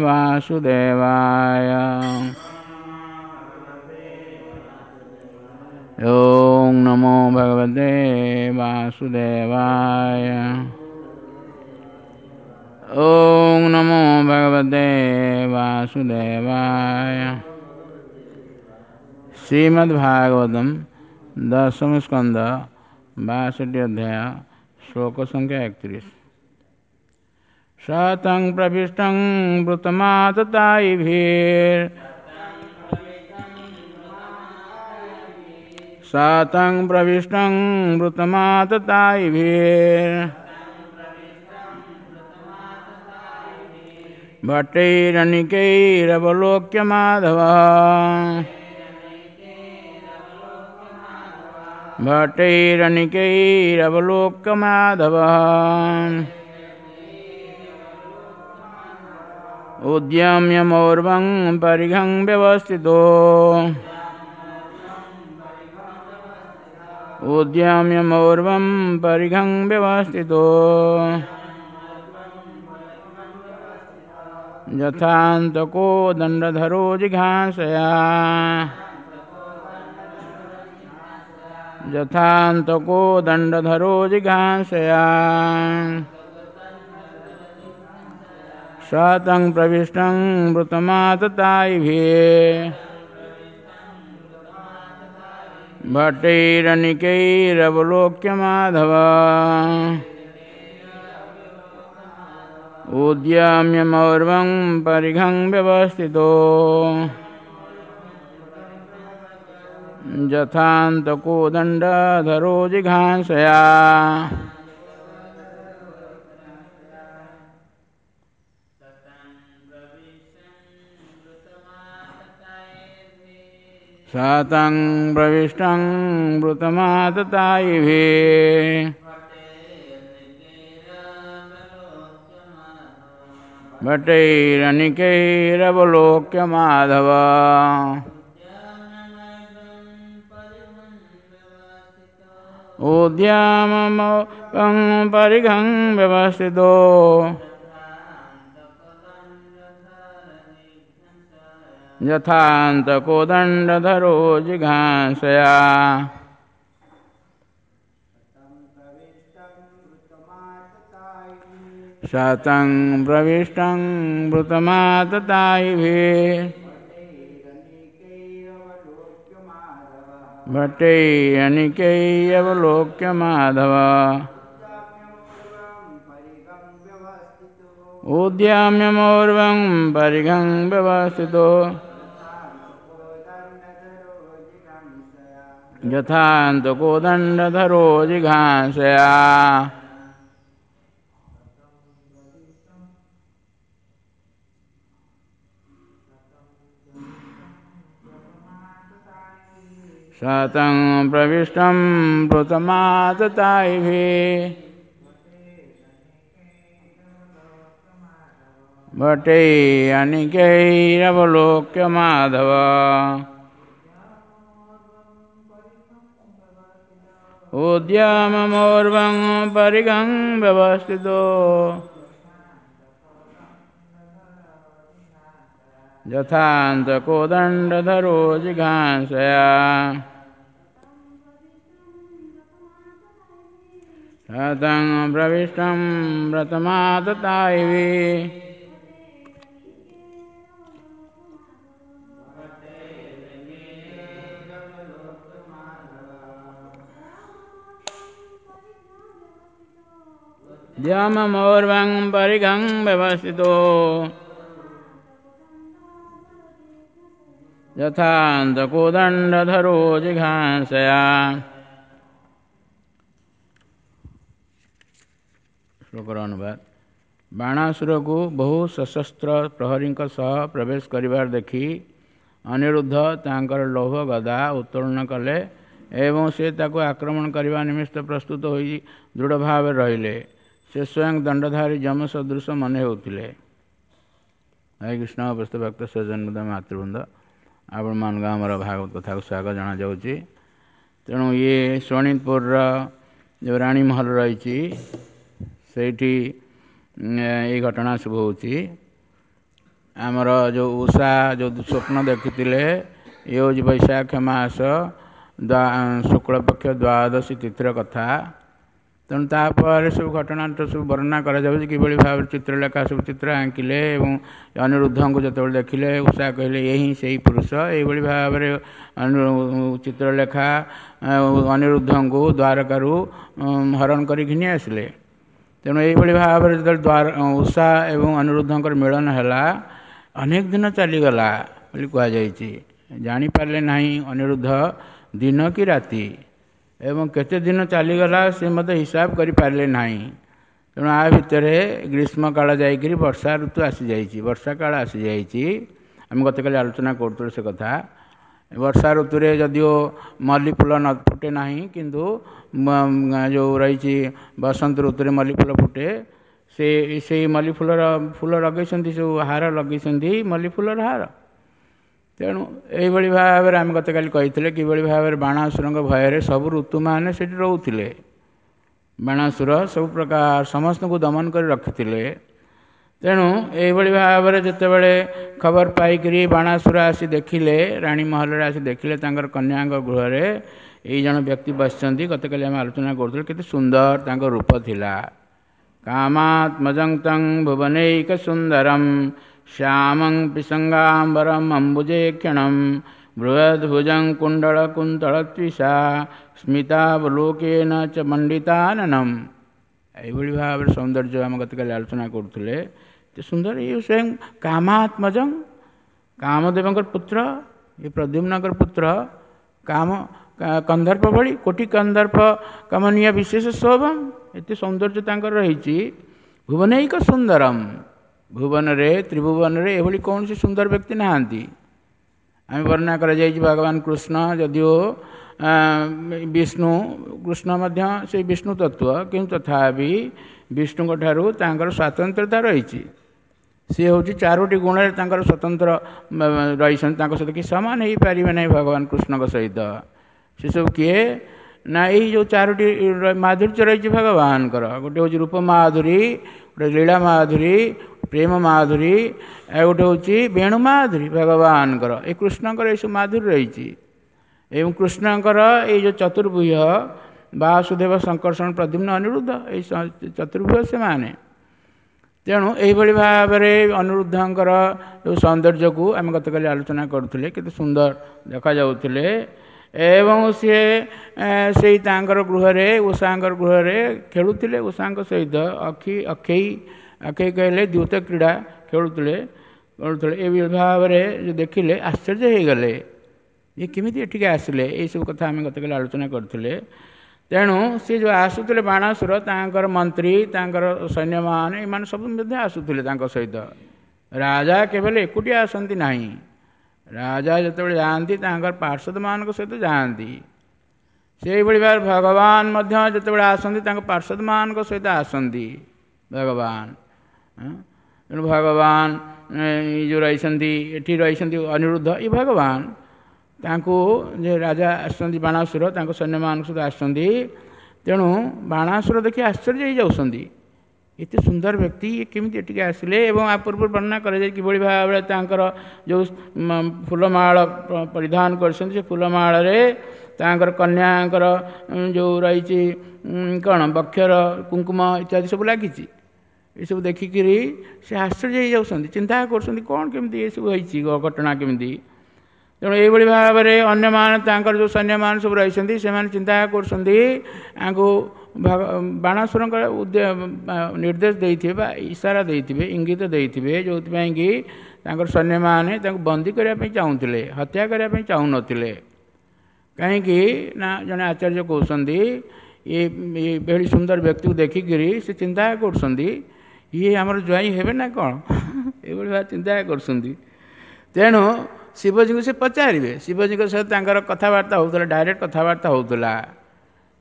वासुदेवाय। ॐ नमो भगवते वासुदेवाय। ॐ नमो भगवते वासुदेवाय। श्रीमद्भागवतम दशम स्कंद 62 अध्याय श्लोक संख्या 31। शतं प्रविष्टं वृतमाततायिभिर् शतं प्रविष्टं वृतमाततायिभिर् भट्टैरनिकैरवलोक्य माधव भट्टैरनिकैरवलोक्य माधव उद्यम्य मौर्वं परिघं व्यवस्थितो उद्यम्य मौर्वं परिघं व्यवस्थितो यथान्तको दण्डधरो जिघांसया यथान्तको दण्डधरो जिघांसया शतं प्रविष्टं वृतमाततायिभिः भट्टैरनिकैरवलोक्य माधव उद्यम्य मौर्वं परिघं व्यवस्थितो यथान्तको दण्डधरो जिघांसया। शतं प्रविष्टं वृतमाततायिभिः भट्टैरनिकैरवलोक्य माधव उद्यामं परिघं व्यवस्थितो यथान्तको दण्डधरो जिघांसया। शतं प्रविष्टं वृतमाततायिभिः भट्टैरनिकैरवलोक्य माधव उद्यम्य मौर्वं परिघं व्यवस्थितो यथान्तको दण्डधरो जिघांसया। शतं प्रविष्टं वृतमाततायिभिः भट्टैरनिकैरवलोक्य माधव उद्यममौर्वं परिघं व्यवस्थितो यथान्तको दण्डधरो जिघांसया। शतं प्रविष्टं व्रतमाततायिभिः द्याममौर्वं परिघं व्यवस्थितो यथान्तको दण्डधरो जिघांसया। ଶ୍ଲୋକର ଅନୁବାଦ। ବାଣାସୁରକୁ ବହୁ ସଶସ୍ତ୍ର ପ୍ରହରୀଙ୍କ ସହ ପ୍ରବେଶ କରିବାର ଦେଖି ଅନିରୁଦ୍ଧ ତାଙ୍କର ଲୌହ ଗଦା ଉତ୍ତୋଳନ କଲେ ଏବଂ ସେ ତାକୁ ଆକ୍ରମଣ କରିବା ନିମିତ୍ତ ପ୍ରସ୍ତୁତ ହୋଇ ଦୃଢ଼ ଭାବରେ ରହିଲେ। ସେ ସ୍ୱୟଂ ଦଣ୍ଡଧାରୀ ଯମ ସଦୃଶ ମନେ ହେଉଥିଲେ। ହରେ କୃଷ୍ଣ। ଉପସ୍ଥିତ ଭକ୍ତ ସଜ୍ଜନବୃନ୍ଦ, ମାତୃବୃନ୍ଦ, ଆପଣମାନଙ୍କୁ ଆମର ଭାଗବତ କଥାକୁ ସ୍ୱାଗତ ଜଣାଯାଉଛି। ତେଣୁ ଇଏ ଶୋଣିତପୁରର ଯେଉଁ ରାଣୀମହଲ ରହିଛି, ସେଇଠି ଏଇ ଘଟଣା ସବୁ ହେଉଛି। ଆମର ଯେଉଁ ଉଷା ଯେଉଁ ସ୍ୱପ୍ନ ଦେଖିଥିଲେ, ଇଏ ହେଉଛି ବୈଶାଖ ମାସ ଶୁକ୍ଳପକ୍ଷ ଦ୍ୱାଦଶୀ ତିଥିର କଥା। ତେଣୁ ତାପରେ ସବୁ ଘଟଣା ସବୁ ବର୍ଣ୍ଣନା କରାଯାଉଛି, କିଭଳି ଭାବରେ ଚିତ୍ରଲେଖା ସବୁ ଚିତ୍ର ଆଙ୍କିଲେ ଏବଂ ଅନିରୁଦ୍ଧଙ୍କୁ ଯେତେବେଳେ ଦେଖିଲେ ଉଷା କହିଲେ ଏ ହିଁ ସେଇ ପୁରୁଷ। ଏଇଭଳି ଭାବରେ ଚିତ୍ରଲେଖା ଅନିରୁଦ୍ଧଙ୍କୁ ଦ୍ୱାରକାରୁ ହରଣ କରି ଘିନି ଆସିଲେ। ତେଣୁ ଏଇଭଳି ଭାବରେ ଯେତେବେଳେ ଉଷା ଏବଂ ଅନିରୁଦ୍ଧଙ୍କର ମିଳନ ହେଲା, ଅନେକ ଦିନ ଚାଲିଗଲା ବୋଲି କୁହାଯାଇଛି। ଜାଣିପାରିଲେ ନାହିଁ ଅନିରୁଦ୍ଧ ଦିନ କି ରାତି, ଏବଂ କେତେ ଦିନ ଚାଲିଗଲା ସେ ମଧ୍ୟ ହିସାବ କରିପାରିଲେ ନାହିଁ। ତେଣୁ ଆ ଭିତରେ ଗ୍ରୀଷ୍ମକାଳ ଯାଇକରି ବର୍ଷା ଋତୁ ଆସିଯାଇଛି, ବର୍ଷା କାଳ ଆସିଯାଇଛି। ଆମେ ଗତକାଲି ଆଲୋଚନା କରୁଥିଲୁ ସେ କଥା। ବର୍ଷା ଋତୁରେ ଯଦିଓ ମଲ୍ଲି ଫୁଲ ନ ଫୁଟେ ନାହିଁ, କିନ୍ତୁ ଯେଉଁ ରହିଛି ବସନ୍ତ ଋତୁରେ ମଲ୍ଲି ଫୁଲ ଫୁଟେ। ସେ ସେଇ ମଲ୍ଲି ଫୁଲର ଫୁଲ ଲଗେଇଛନ୍ତି, ସବୁ ହାର ଲଗେଇଛନ୍ତି, ମଲ୍ଲି ଫୁଲର ହାର। ତେଣୁ ଏଇଭଳି ଭାବରେ ଆମେ ଗତକାଲି କହିଥିଲେ କିଭଳି ଭାବରେ ବାଣାସୁରଙ୍କ ଭୟରେ ସବୁ ଋତୁମାନେ ସେଠି ରହୁଥିଲେ। ବାଣାସୁର ସବୁ ପ୍ରକାର ସମସ୍ତଙ୍କୁ ଦମନ କରି ରଖିଥିଲେ। ତେଣୁ ଏଇଭଳି ଭାବରେ ଯେତେବେଳେ ଖବର ପାଇକରି ବାଣାସୁର ଆସି ଦେଖିଲେ, ରାଣୀ ମହଲରେ ଆସି ଦେଖିଲେ ତାଙ୍କର କନ୍ୟାଙ୍କ ଗୃହରେ ଏଇ ଜଣ ବ୍ୟକ୍ତି ବସିଛନ୍ତି। ଗତକାଲି ଆମେ ଆଲୋଚନା କରୁଥିଲୁ କେତେ ସୁନ୍ଦର ତାଙ୍କ ରୂପ ଥିଲା। କାମାତ୍ମଜଂ ତଂ ଭୁବନୈକ ସୁନ୍ଦରಂ ଶ୍ୟାମଂ ପିସଙ୍ଗାମ୍ବରମ୍ ଅମ୍ବୁଜେକ୍ଷଣಂ ବୃହଦ୍ଭୁଜଂ କୁଣ୍ଡଳ କୁନ୍ତଳତ୍ବିଷା ସ୍ମିତାବଲୋକେନ ଚ ମଣ୍ଡିତାନନମ୍। ଏଇଭଳି ଭାବରେ ସୌନ୍ଦର୍ଯ୍ୟ ଆମେ ଗତକାଲି ଆଲୋଚନା କରୁଥିଲେ। ଏତେ ସୁନ୍ଦର ଇଏ ସ୍ୱୟଂ କାମାତ୍ମଜଂ, କାମଦେବଙ୍କର ପୁତ୍ର, ଏ ପ୍ରଦ୍ୟୁମ୍ନଙ୍କର ପୁତ୍ର, କାମ କନ୍ଦର୍ପ ଭଳି କୋଟି କନ୍ଦର୍ପ କମନୀୟ ବିଶେଷ ଶୋଭମ୍, ଏତେ ସୌନ୍ଦର୍ଯ୍ୟ ତାଙ୍କର ରହିଛି। ଭୁବନୈକ ସୁନ୍ଦରମ୍, ଭୁବନରେ ତ୍ରିଭୁବନରେ ଏଭଳି କୌଣସି ସୁନ୍ଦର ବ୍ୟକ୍ତି ନାହାନ୍ତି। ଆମେ ବର୍ଣ୍ଣନା କରାଯାଇଛି ଭଗବାନ କୃଷ୍ଣ ଯଦିଓ ବିଷ୍ଣୁ, କୃଷ୍ଣ ମଧ୍ୟ ସେଇ ବିଷ୍ଣୁ ତତ୍ତ୍ୱ, କିନ୍ତୁ ତଥାପି ବିଷ୍ଣୁଙ୍କ ଠାରୁ ତାଙ୍କର ସ୍ୱାତନ୍ତ୍ରତା ରହିଛି। ସିଏ ହେଉଛି ଚାରୋଟି ଗୁଣରେ ତାଙ୍କର ସ୍ୱତନ୍ତ୍ର ରହିଛନ୍ତି, ତାଙ୍କ ସହିତ କି ସମାନ ହେଇପାରିବେ ନାହିଁ ଭଗବାନ କୃଷ୍ଣଙ୍କ ସହିତ। ସେସବୁ କିଏ ନା ଏଇ ଯେଉଁ ଚାରୋଟି ମାଧୁର୍ଯ୍ୟ ରହିଛି ଭଗବାନଙ୍କର। ଗୋଟେ ହେଉଛି ରୂପ ମାଧୁରୀ, ଗୋଟେ ଲୀଳା ମାଧୁରୀ, ପ୍ରେମ ମାଧୁରୀ, ଆଉ ଗୋଟେ ହେଉଛି ବେଣୁ ମାଧୁରୀ ଭଗବାନଙ୍କର। ଏ କୃଷ୍ଣଙ୍କର ଏସବୁ ମାଧୁରୀ ରହିଛି। ଏବଂ କୃଷ୍ଣଙ୍କର ଏଇ ଯେଉଁ ଚତୁର୍ଭୁଜ ବାସୁଦେବ ଶଙ୍କର୍ଷଣ ପ୍ରଦ୍ୟୁମ୍ନ ଅନିରୁଦ୍ଧ, ଏଇ ଚତୁର୍ଭୁଜ ସେମାନେ। ତେଣୁ ଏଇଭଳି ଭାବରେ ଅନିରୁଦ୍ଧଙ୍କର ଯେଉଁ ସୌନ୍ଦର୍ଯ୍ୟକୁ ଆମେ ଗତକାଲି ଆଲୋଚନା କରୁଥିଲେ, କେତେ ସୁନ୍ଦର ଦେଖାଯାଉଥିଲେ। ଏବଂ ସିଏ ସେଇ ତାଙ୍କର ଗୃହରେ, ଉଷାଙ୍କର ଗୃହରେ ଖେଳୁଥିଲେ ଉଷାଙ୍କ ସହିତ। ଅଖେଇ ଅଖେଇ କହିଲେ ଦ୍ୟୁତ କ୍ରୀଡ଼ା ଖେଳୁଥିଲେ ଖେଳୁଥିଲେ। ଏ ଭାବରେ ଦେଖିଲେ ଆଶ୍ଚର୍ଯ୍ୟ ହେଇଗଲେ, ଇଏ କେମିତି ଏଠିକି ଆସିଲେ। ଏଇସବୁ କଥା ଆମେ ଗତକାଲି ଆଲୋଚନା କରିଥିଲେ। ତେଣୁ ସେ ଯେଉଁ ଆସୁଥିଲେ ବାଣାସୁର, ତାଙ୍କର ମନ୍ତ୍ରୀ, ତାଙ୍କର ସୈନ୍ୟମାନେ, ଏମାନେ ସବୁ ମଧ୍ୟ ଆସୁଥିଲେ ତାଙ୍କ ସହିତ। ରାଜା କେବଳ ଏକୁଟିଆ ଆସନ୍ତି ନାହିଁ। ରାଜା ଯେତେବେଳେ ଯାଆନ୍ତି ତାଙ୍କର ପାର୍ଶ୍ୱଦମାନଙ୍କ ସହିତ ଯାଆନ୍ତି। ସେଇଭଳି ଭାବରେ ଭଗବାନ ମଧ୍ୟ ଯେତେବେଳେ ଆସନ୍ତି ତାଙ୍କ ପାର୍ଶ୍ୱଦମାନଙ୍କ ସହିତ ଆସନ୍ତି ଭଗବାନ। ତେଣୁ ଭଗବାନ ଏଇ ଯେଉଁ ରହିଛନ୍ତି ଏଠି ରହିଛନ୍ତି ଅନିରୁଦ୍ଧ, ଏ ଭଗବାନ ତାଙ୍କୁ ଯେ ରାଜା ଆସୁଛନ୍ତି ବାଣାସୁର ତାଙ୍କ ସୈନ୍ୟମାନଙ୍କ ସହିତ ଆସୁଛନ୍ତି। ତେଣୁ ବାଣାସୁର ଦେଖି ଆଶ୍ଚର୍ଯ୍ୟ ହେଇଯାଉଛନ୍ତି, ଏତେ ସୁନ୍ଦର ବ୍ୟକ୍ତି ଇଏ କେମିତି ଏଠିକି ଆସିଲେ। ଏବଂ ଆ ପୂର୍ବରୁ ବର୍ଣ୍ଣନା କରାଯାଏ କିଭଳି ଭାବରେ ତାଙ୍କର ଯେଉଁ ଫୁଲମାଳ ପରିଧାନ କରିଛନ୍ତି, ସେ ଫୁଲମାଳରେ ତାଙ୍କର କନ୍ୟାଙ୍କର ଯେଉଁ ରହିଛି କ'ଣ ବକ୍ଷର କୁଙ୍କୁମ ଇତ୍ୟାଦି ସବୁ ଲାଗିଛି। ଏସବୁ ଦେଖିକିରି ସେ ଆଶ୍ଚର୍ଯ୍ୟ ହେଇଯାଉଛନ୍ତି, ଚିନ୍ତା କରୁଛନ୍ତି କ'ଣ କେମିତି ଏସବୁ ହେଇଛି, ଘଟଣା କେମିତି। ତେଣୁ ଏଇଭଳି ଭାବରେ ଅନ୍ୟମାନେ ତାଙ୍କର ଯେଉଁ ସୈନ୍ୟମାନେ ସବୁ ରହିଛନ୍ତି ସେମାନେ ଚିନ୍ତା କରୁଛନ୍ତି ଆଙ୍କୁ ବାଣାସୁରଙ୍କର ନିର୍ଦ୍ଦେଶ ଦେଇଥିବେ ବା ଇସାରା ଦେଇଥିବେ, ଇଙ୍ଗିତ ଦେଇଥିବେ, ଯେଉଁଥିପାଇଁ କି ତାଙ୍କର ସୈନ୍ୟମାନେ ତାଙ୍କୁ ବନ୍ଦୀ କରିବା ପାଇଁ ଚାହୁଁଥିଲେ, ହତ୍ୟା କରିବା ପାଇଁ ଚାହୁଁନଥିଲେ। କାହିଁକି ନା ଜଣେ ଆଚାର୍ଯ୍ୟ କହୁଛନ୍ତି ଏଭଳି ସୁନ୍ଦର ବ୍ୟକ୍ତିକୁ ଦେଖିକିରି ସେ ଚିନ୍ତା କରୁଛନ୍ତି ଇଏ ଆମର ଜ୍ୱାଇଁ ହେବେ ନା କ'ଣ, ଏଇଭଳି ଭାବେ ଚିନ୍ତା କରୁଛନ୍ତି। ତେଣୁ ଶିବଜୀଙ୍କୁ ସେ ପଚାରିବେ, ଶିବଜୀଙ୍କ ସହିତ ତାଙ୍କର କଥାବାର୍ତ୍ତା ହେଉଥିଲା, ଡାଇରେକ୍ଟ କଥାବାର୍ତ୍ତା ହେଉଥିଲା।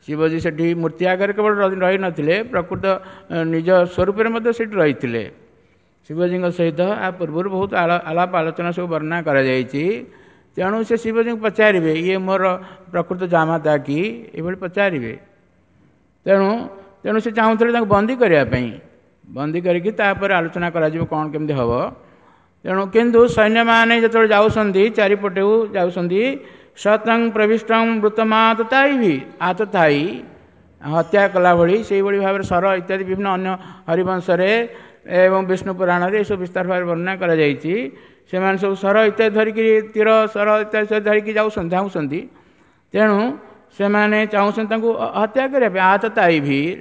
ଶିବଜୀ ସେଠି ମୂର୍ତ୍ତି ଆଗରେ କେବଳ ରହିନଥିଲେ, ପ୍ରକୃତ ନିଜ ସ୍ୱରୂପରେ ମଧ୍ୟ ସେଠି ରହିଥିଲେ। ଶିବଜୀଙ୍କ ସହିତ ଆ ପୂର୍ବରୁ ବହୁତ ଆଳାପ ଆଲୋଚନା ସବୁ ବର୍ଣ୍ଣନା କରାଯାଇଛି। ତେଣୁ ସେ ଶିବଜୀଙ୍କୁ ପଚାରିବେ ଇଏ ମୋର ପ୍ରକୃତ ଜାମାତା କି, ଏଭଳି ପଚାରିବେ। ତେଣୁ ତେଣୁ ସେ ଚାହୁଁଥିଲେ ତାଙ୍କୁ ବନ୍ଦୀ କରିବା ପାଇଁ, ବନ୍ଦୀ କରିକି ତାପରେ ଆଲୋଚନା କରାଯିବ କ'ଣ କେମିତି ହେବ। ତେଣୁ କିନ୍ତୁ ସୈନ୍ୟମାନେ ଯେତେବେଳେ ଯାଉଛନ୍ତି, ଚାରିପଟକୁ ଯାଉଛନ୍ତି, ସତଂ ପ୍ରବିଷ୍ଟଂ ମୃତମାତତାଇ ବି ଆତତାଇ ହତ୍ୟା କଲା ଭଳି ସେଇଭଳି ଭାବରେ ସର ଇତ୍ୟାଦି ବିଭିନ୍ନ ଅନ୍ୟ ହରିବଂଶରେ ଏବଂ ବିଷ୍ଣୁ ପୁରାଣରେ ଏସବୁ ବିସ୍ତାର ଭାବରେ ବର୍ଣ୍ଣନା କରାଯାଇଛି। ସେମାନେ ସବୁ ସର ଇତ୍ୟାଦି ଧରିକି, ତୀର ସର ଇତ୍ୟାଦି ଧରିକି ଯାଉଛନ୍ତି, ଧାଉଁଛନ୍ତି। ତେଣୁ ସେମାନେ ଚାହୁଁଛନ୍ତି ତାଙ୍କୁ ହତ୍ୟା କରିବା ପାଇଁ। ଆତତାଇ ଭୀର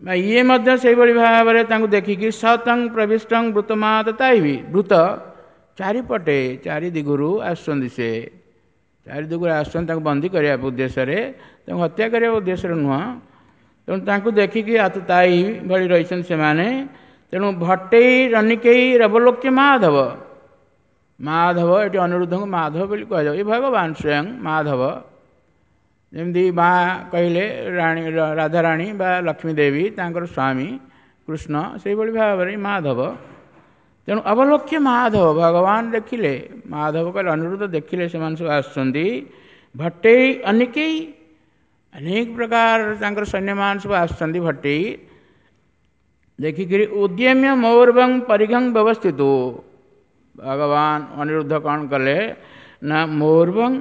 ବା ଇଏ ମଧ୍ୟ ସେଇଭଳି ଭାବରେ ତାଙ୍କୁ ଦେଖିକି ସତଂ ପ୍ରବିଷ୍ଟଂ ବୃତମାତତାଇ ବି ବୃତ ଚାରିପଟେ ଚାରି ଦିଗରୁ ଆସୁଛନ୍ତି। ସେ ଚାରି ଦିଗରୁ ଆସୁଛନ୍ତି ତାଙ୍କୁ ବନ୍ଦୀ କରିବା ଉଦ୍ଦେଶ୍ୟରେ, ତାଙ୍କୁ ହତ୍ୟା କରିବା ଉଦ୍ଦେଶ୍ୟରେ ନୁହଁ। ତେଣୁ ତାଙ୍କୁ ଦେଖିକି ଆତତାଇ ଭଳି ରହିଛନ୍ତି ସେମାନେ। ତେଣୁ ଭଟ୍ଟେଇ ରନିକେଇ ରବଲୋକ୍ୟ ମାଧବ, ମାଧବ ଏଠି ଅନିରୁଦ୍ଧଙ୍କୁ ମାଧବ ବୋଲି କୁହାଯାଏ। ଏ ଭଗବାନ ସ୍ୱୟଂ ମାଧବ। ଯେମିତି ମା କହିଲେ ରାଣୀ ରାଧାରାଣୀ ବା ଲକ୍ଷ୍ମୀ ଦେବୀ ତାଙ୍କର ସ୍ୱାମୀ କୃଷ୍ଣ, ସେଇଭଳି ଭାବରେ ମାଧବ। ତେଣୁ ଅବଲୋକ୍ୟ ମାଧବ, ଭଗବାନ ଦେଖିଲେ, ମାଧବ କହିଲେ ଅନିରୁଦ୍ଧ ଦେଖିଲେ ସେମାନେ ସବୁ ଆସୁଛନ୍ତି। ଭଟ୍ଟେଇ ଅନିକେଇ, ଅନେକ ପ୍ରକାର ତାଙ୍କର ସୈନ୍ୟମାନେ ସବୁ ଆସୁଛନ୍ତି। ଭଟ୍ଟେଇ ଦେଖିକିରି ଉଦ୍ୟମ୍ୟ ମୌର୍ବଂ ପରିଘଂ ବ୍ୟବସ୍ଥିତ, ଭଗବାନ ଅନିରୁଦ୍ଧ କ'ଣ କଲେ ନା ମୌର୍ବଂ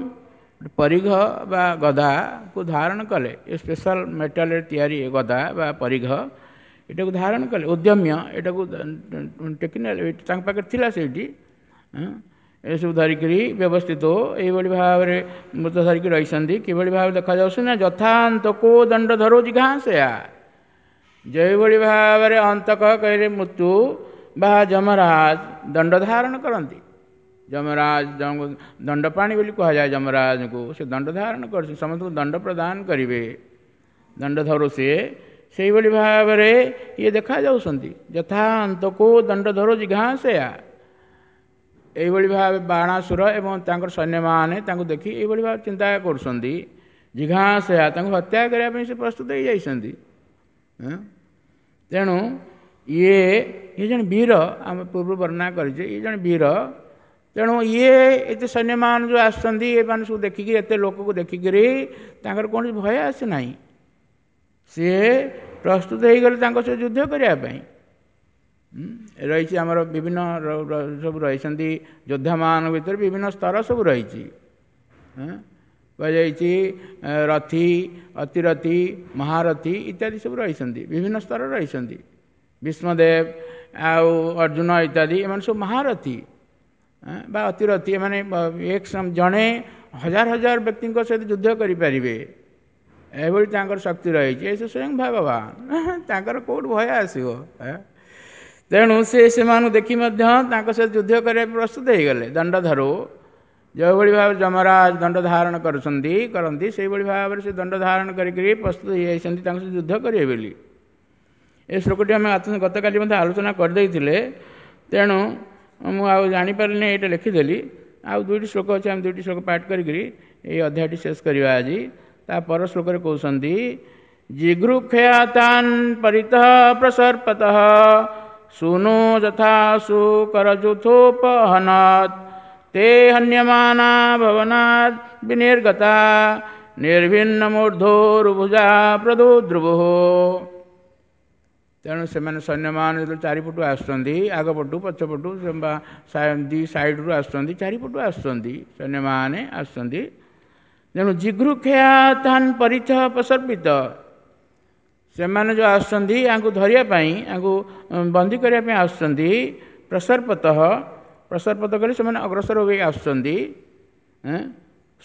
ପରିଘ ବା ଗଦାକୁ ଧାରଣ କଲେ। ଏ ସ୍ପେଶାଲ ମେଟାଲରେ ତିଆରି ଏ ଗଦା ବା ପରିଘ, ଏଟାକୁ ଧାରଣ କଲେ। ଉଦ୍ୟମ୍ୟ ଏଟାକୁ ଟେକି ନେଲେ, ତାଙ୍କ ପାଖରେ ଥିଲା ସେଇଠି। ଏସବୁ ଧରିକିରି ବ୍ୟବସ୍ଥିତ ଏଇଭଳି ଭାବରେ ମୃତ ଧରିକି ରହିଛନ୍ତି। କିଭଳି ଭାବରେ ଦେଖାଯାଉଛି ନା ଯଥାନ୍ତକୋ ଦଣ୍ଡ ଧରୋ ଜିଘାଂସୟା, ଯେଉଁଭଳି ଭାବରେ ଅନ୍ତକ କହିଲେ ମୃତ୍ୟୁ ବା ଯମରାଜ ଦଣ୍ଡ ଧାରଣ କରନ୍ତି। ଯମରାଜ ଦଣ୍ଡପାଣି ବୋଲି କୁହାଯାଏ ଯମରାଜଙ୍କୁ, ସେ ଦଣ୍ଡ ଧାରଣ କରୁଛନ୍ତି, ସମସ୍ତଙ୍କୁ ଦଣ୍ଡ ପ୍ରଦାନ କରିବେ, ଦଣ୍ଡ ଧରୁ ସିଏ। ସେଇଭଳି ଭାବରେ ଇଏ ଦେଖାଯାଉଛନ୍ତି ଯଥା ଅନ୍ତକୁ ଦଣ୍ଡ ଧରୁ ଜିଘାଂସୟା। ଏଇଭଳି ଭାବେ ବାଣାସୁର ଏବଂ ତାଙ୍କର ସୈନ୍ୟମାନେ ତାଙ୍କୁ ଦେଖି ଏଇଭଳି ଭାବେ ଚିନ୍ତା କରୁଛନ୍ତି। ଜିଘାଂସୟା, ତାଙ୍କୁ ହତ୍ୟା କରିବା ପାଇଁ ସେ ପ୍ରସ୍ତୁତ ହେଇଯାଇଛନ୍ତି। ତେଣୁ ଇଏ ଜଣେ ବୀର, ଆମେ ପୂର୍ବରୁ ବର୍ଣ୍ଣନା କରିଛେ, ଇଏ ଜଣେ ବୀର। ତେଣୁ ଇଏ ଏତେ ସୈନ୍ୟମାନେ ଯେଉଁ ଆସୁଛନ୍ତି, ଏମାନେ ସବୁ ଦେଖିକି, ଏତେ ଲୋକକୁ ଦେଖିକିରି ତାଙ୍କର କୌଣସି ଭୟ ଆସେ ନାହିଁ। ସିଏ ପ୍ରସ୍ତୁତ ହେଇଗଲେ ତାଙ୍କ ସହ ଯୁଦ୍ଧ କରିବା ପାଇଁ। ରହିଛି ଆମର ବିଭିନ୍ନ ସବୁ ରହିଛନ୍ତି ଯୋଦ୍ଧାମାନଙ୍କ ଭିତରେ ବିଭିନ୍ନ ସ୍ତର ସବୁ ରହିଛି। କୁହାଯାଇଛି ରଥୀ, ଅତିରଥୀ, ମହାରଥୀ ଇତ୍ୟାଦି ସବୁ ରହିଛନ୍ତି, ବିଭିନ୍ନ ସ୍ତର ରହିଛନ୍ତି। ଭୀଷ୍ମଦେବ ଆଉ ଅର୍ଜୁନ ଇତ୍ୟାଦି ଏମାନେ ସବୁ ମହାରଥୀ ବା ଅତିରଥୀ। ଏମାନେ ଏକ ଜଣେ ହଜାର ହଜାର ବ୍ୟକ୍ତିଙ୍କ ସହିତ ଯୁଦ୍ଧ କରିପାରିବେ, ଏଭଳି ତାଙ୍କର ଶକ୍ତି ରହିଛି। ଏ ସ୍ୱୟଂ ଭଗବାନ, ତାଙ୍କର କେଉଁଠୁ ଭୟ ଆସିବ? ତେଣୁ ସେ ସେମାନଙ୍କୁ ଦେଖି ମଧ୍ୟ ତାଙ୍କ ସହିତ ଯୁଦ୍ଧ କରିବା ପ୍ରସ୍ତୁତ ହେଇଗଲେ। ଦଣ୍ଡଧରୁ, ଯେଉଁଭଳି ଭାବରେ ଯମରାଜ ଦଣ୍ଡ ଧାରଣ କରନ୍ତି, ସେଇଭଳି ଭାବରେ ସେ ଦଣ୍ଡ ଧାରଣ କରିକରି ପ୍ରସ୍ତୁତ ହେଇଯାଇଛନ୍ତି ତାଙ୍କ ସହିତ ଯୁଦ୍ଧ କରିବେ ବୋଲି। ଏ ଶ୍ଲୋକଟି ଆମେ ଗତକାଲି ମଧ୍ୟ ଆଲୋଚନା କରିଦେଇଥିଲେ, ତେଣୁ ମୁଁ ଆଉ ଜାଣିପାରିଲିନି, ଏଇଟା ଲେଖିଦେଲି। ଆଉ ଦୁଇଟି ଶ୍ଲୋକ ଅଛି, ଆମେ ଦୁଇଟି ଶ୍ଲୋକ ପାଠ କରିକିରି ଏଇ ଅଧ୍ୟାୟଟି ଶେଷ କରିବା ଆଜି। ତା ପର ଶ୍ଲୋକରେ କହୁଛନ୍ତି ଜିଘୃକ୍ଷୟାତାନ୍ ପରିତଃ ପ୍ରସର୍ପତଃ ସୁନୁ ଯଥା ସୁକରଯୁଥୋପହନତ୍ ତେ ହନ୍ୟମାନା ଭବନାଦ୍ ବିନିର୍ଗତା ନିର୍ଭିନ୍ନ ମୂର୍ଦ୍ଧୋରୁଭୁଜା ପ୍ରଦୁଦ୍ରୁଭୁଃ। ତେଣୁ ସେମାନେ ସୈନ୍ୟମାନେ ଯେତେବେଳେ ଚାରିପଟୁ ଆସୁଛନ୍ତି, ଆଗପଟୁ ପଛପଟୁ ବା ଦୁଇ ସାଇଡ଼ରୁ ଆସୁଛନ୍ତି, ଚାରିପଟୁ ଆସୁଛନ୍ତି ସୈନ୍ୟମାନେ ଆସୁଛନ୍ତି। ତେଣୁ ଜିଘୃକ୍ଷୟାତାନ୍ ପରିତଃ ପ୍ରସର୍ପିତ, ସେମାନେ ଯେଉଁ ଆସୁଛନ୍ତି ୟାଙ୍କୁ ଧରିବା ପାଇଁ, ୟାଙ୍କୁ ବନ୍ଦୀ କରିବା ପାଇଁ ଆସୁଛନ୍ତି। ପ୍ରସର୍ପତଃ, ପ୍ରସର୍ପତ କରି ସେମାନେ ଅଗ୍ରସର ହୋଇ ଆସୁଛନ୍ତି।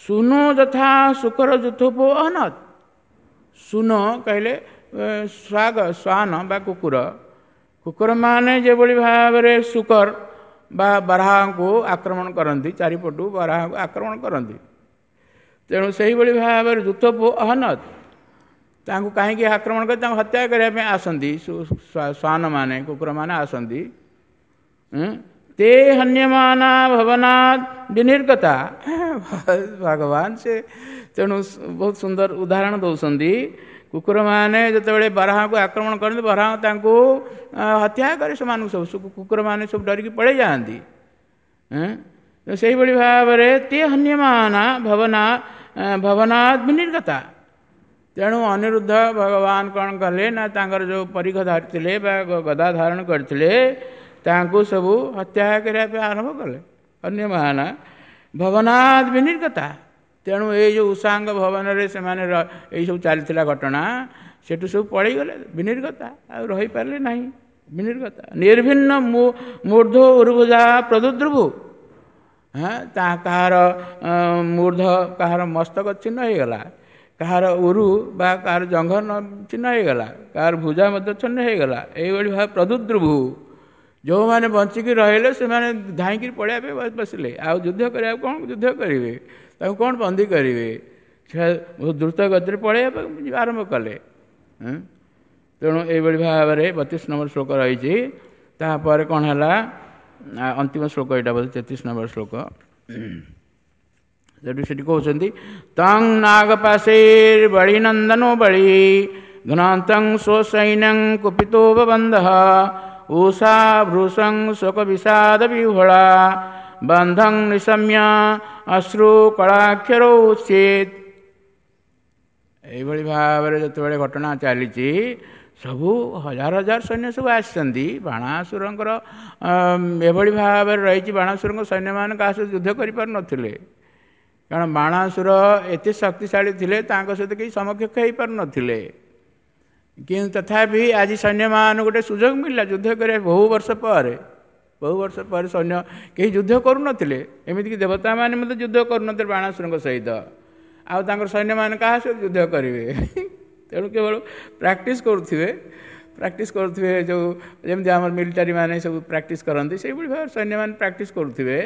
ସୁନୁ ଯଥା ଶୁକର ଯୁଥୋପ ଅହନତ୍, ସୁନ କହିଲେ ଶ୍ୱାନ ବା କୁକୁର, କୁକୁରମାନେ ଯେଭଳି ଭାବରେ ଶୁକର ବା ବାରାହାଙ୍କୁ ଆକ୍ରମଣ କରନ୍ତି, ଚାରିପଟୁ ବାରାହାଙ୍କୁ ଆକ୍ରମଣ କରନ୍ତି। ତେଣୁ ସେଇଭଳି ଭାବରେ ଯୁଥୋପ ଅହନତ୍, ତାଙ୍କୁ କାହିଁକି ଆକ୍ରମଣ କରି ତାଙ୍କୁ ହତ୍ୟା କରିବା ପାଇଁ ଆସନ୍ତି ଶ୍ୱାନମାନେ, କୁକୁରମାନେ ଆସନ୍ତି। ତେ ହନ୍ୟମାନା ଭବନାଦ୍ ବିନିର୍ଗତା, ଭଗବାନ ସେ ତେଣୁ ବହୁତ ସୁନ୍ଦର ଉଦାହରଣ ଦେଉଛନ୍ତି। କୁକୁରମାନେ ଯେତେବେଳେ ବାରାହାକୁ ଆକ୍ରମଣ କରନ୍ତି, ବାରାହା ତାଙ୍କୁ ହତ୍ୟା କରେ, ସେମାନଙ୍କୁ ସବୁ କୁକୁରମାନେ ସବୁ ଡରିକି ପଳେଇ ଯାଆନ୍ତି। ସେଇଭଳି ଭାବରେ ତେ ହନ୍ୟମାନା ଭବନାଦ୍ ବିନିର୍ଗତା। ତେଣୁ ଅନିରୁଦ୍ଧ ଭଗବାନ କ'ଣ କଲେ ନା ତାଙ୍କର ଯେଉଁ ପରିଘ ଧରିଥିଲେ ବା ଗଦା ଧାରଣ କରିଥିଲେ, ତାଙ୍କୁ ସବୁ ହତ୍ୟା କରିବା ପାଇଁ ଆରମ୍ଭ କଲେ। ଅନ୍ୟମାନେ ଭବନାଦ ବିନିର୍ଗତା। ତେଣୁ ଏଇ ଯେଉଁ ଉଷାଙ୍ଗ ଭବନରେ ସେମାନେ ଏଇସବୁ ଚାଲିଥିଲା ଘଟଣା, ସେଠୁ ସବୁ ପଳେଇଗଲେ, ବିନିର୍ଗତା, ଆଉ ରହିପାରିଲେ ନାହିଁ। ବିନିର୍ଗତା ନିର୍ଭିନ୍ନ ମୂର୍ଦ୍ଧ ଉର୍ଭୁଜା ପ୍ରଦୁଦ୍ରୁଭୁ। ହଁ, ତା କାହାର ମୂର୍ଦ୍ଧ, କାହାର ମସ୍ତକ ଛିନ୍ନ ହେଇଗଲା, କାହାର ଉରୁ ବା କାହାର ଜଙ୍ଘ ଛିନ୍ନ ହେଇଗଲା, କାହାର ଭୁଜା ମଧ୍ୟ ଛିନ୍ନ ହେଇଗଲା। ଏଇଭଳି ଭାବେ ପ୍ରଦୁଦ୍ରୁଭୁ। ଯେଉଁମାନେ ବଞ୍ଚିକି ରହିଲେ ସେମାନେ ଧାଇଁକିରି ପଳେଇବା ପାଇଁ ବସିଲେ। ଆଉ ଯୁଦ୍ଧ କରିବାକୁ କ'ଣ ଯୁଦ୍ଧ କରିବେ, ତାକୁ କ'ଣ ବନ୍ଦୀ କରିବେ? ସେ ବହୁତ ଦ୍ରୁତ ଗତିରେ ପଳେଇବା ପାଇଁ ଆରମ୍ଭ କଲେ। ତେଣୁ ଏଇଭଳି ଭାବରେ 32 ନମ୍ବର ଶ୍ଲୋକ ରହିଛି। ତାପରେ କ'ଣ ହେଲା, ଅନ୍ତିମ ଶ୍ଲୋକ ଏଇଟା ବୋଧେ 33 ନମ୍ବର ଶ୍ଲୋକ। ସେଠୁ ସେଠି କହୁଛନ୍ତି, ତଂ ନାଗପାଶୈର୍ ବଳିନନ୍ଦନୋ ବଳି ଘ୍ନାନ୍ତଂ ସ୍ୱସୈନ୍ୟଂ କୁପିତୋ ବବନ୍ଧଃ ଉଷା ଭୃଶଂ ଶୋକ ବିଷାଦ ବିହ୍ୱଳା ବନ୍ଧଂ ନିଶମ୍ୟ ଅଶ୍ରୁ କଳାକ୍ଷରୌ ଉଚ୍ଚେତ୍। ଏଇଭଳି ଭାବରେ ଯେତେବେଳେ ଘଟଣା ଚାଲିଛି, ସବୁ ହଜାର ହଜାର ସୈନ୍ୟ ସବୁ ଆସିଛନ୍ତି। ବାଣାସୁରଙ୍କର ଏଭଳି ଭାବରେ ରହିଛି, ବାଣାସୁରଙ୍କ ସୈନ୍ୟମାନେ କାହା ସହିତ ଯୁଦ୍ଧ କରିପାରୁନଥିଲେ, କାରଣ ବାଣାସୁର ଏତେ ଶକ୍ତିଶାଳୀ ଥିଲେ, ତାଙ୍କ ସହିତ କେହି ସମକକ୍ଷ ହେଇପାରୁନଥିଲେ। କିନ୍ତୁ ତଥାପି ଆଜି ସୈନ୍ୟମାନଙ୍କୁ ଗୋଟେ ସୁଯୋଗ ମିଳିଲା ଯୁଦ୍ଧ କରିବା। ବହୁ ବର୍ଷ ପରେ, ବହୁ ବର୍ଷ ପରେ ସୈନ୍ୟ କେହି ଯୁଦ୍ଧ କରୁନଥିଲେ, ଏମିତିକି ଦେବତାମାନେ ମଧ୍ୟ ଯୁଦ୍ଧ କରୁନଥିଲେ ବାଣାସୁରଙ୍କ ସହିତ। ଆଉ ତାଙ୍କର ସୈନ୍ୟମାନେ କାହା ସହିତ ଯୁଦ୍ଧ କରିବେ? ତେଣୁ କେବଳ ପ୍ରାକ୍ଟିସ୍ କରୁଥିବେ, ପ୍ରାକ୍ଟିସ୍ କରୁଥିବେ, ଯେଉଁ ଯେମିତି ଆମର ମିଲିଟାରୀ ମାନେ ସବୁ ପ୍ରାକ୍ଟିସ୍ କରନ୍ତି, ସେଇଭଳି ଭାବରେ ସୈନ୍ୟମାନେ ପ୍ରାକ୍ଟିସ୍ କରୁଥିବେ।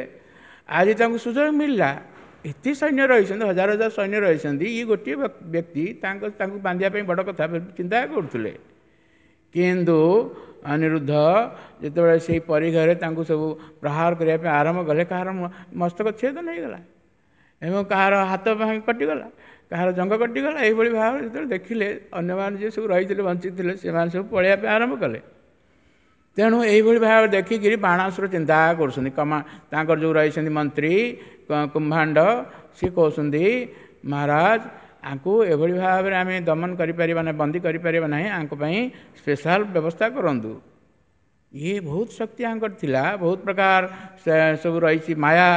ଆଜି ତାଙ୍କୁ ସୁଯୋଗ ମିଳିଲା, ଏତେ ସୈନ୍ୟ ରହିଛନ୍ତି, ହଜାର ହଜାର ସୈନ୍ୟ ରହିଛନ୍ତି, ଇଏ ଗୋଟିଏ ବ୍ୟକ୍ତି, ତାଙ୍କୁ ବାନ୍ଧିବା ପାଇଁ ବଡ଼ କଥା ଚିନ୍ତା କରୁଥିଲେ। କିନ୍ତୁ ଅନିରୁଦ୍ଧ ଯେତେବେଳେ ସେଇ ପରିଘରେ ତାଙ୍କୁ ସବୁ ପ୍ରହାର କରିବା ପାଇଁ ଆରମ୍ଭ କଲେ, କାହାର ମସ୍ତକ ଛେଦନ ହେଇଗଲା ଏବଂ କାହାର ହାତ କଟିଗଲା, କାହାର ଜଙ୍ଘ କଟିଗଲା। ଏଇଭଳି ଭାବରେ ଯେତେବେଳେ ଦେଖିଲେ, ଅନ୍ୟମାନେ ଯିଏ ସବୁ ରହିଥିଲେ, ବଞ୍ଚିଥିଲେ, ସେମାନେ ସବୁ ପଳେଇବା ପାଇଁ ଆରମ୍ଭ କଲେ। ତେଣୁ ଏଇଭଳି ଭାବରେ ଦେଖିକିରି ବାଣାସୁର ଚିନ୍ତା କରୁଛନ୍ତି। କମା ତାଙ୍କର ଯେଉଁ ରହିଛନ୍ତି ମନ୍ତ୍ରୀ କୁମ୍ଭାଣ୍ଡ, ସିଏ କହୁଛନ୍ତି, ମହାରାଜ, ଆଙ୍କୁ ଏଭଳି ଭାବରେ ଆମେ ଦମନ କରିପାରିବା ନାହିଁ, ବନ୍ଦୀ କରିପାରିବା ନାହିଁ, ଆଙ୍କ ପାଇଁ ସ୍ପେଶାଲ ବ୍ୟବସ୍ଥା କରନ୍ତୁ। ଇଏ ବହୁତ ଶକ୍ତି ଆଙ୍କର ଥିଲା, ବହୁତ ପ୍ରକାର ସବୁ ରହିଛି ମାୟା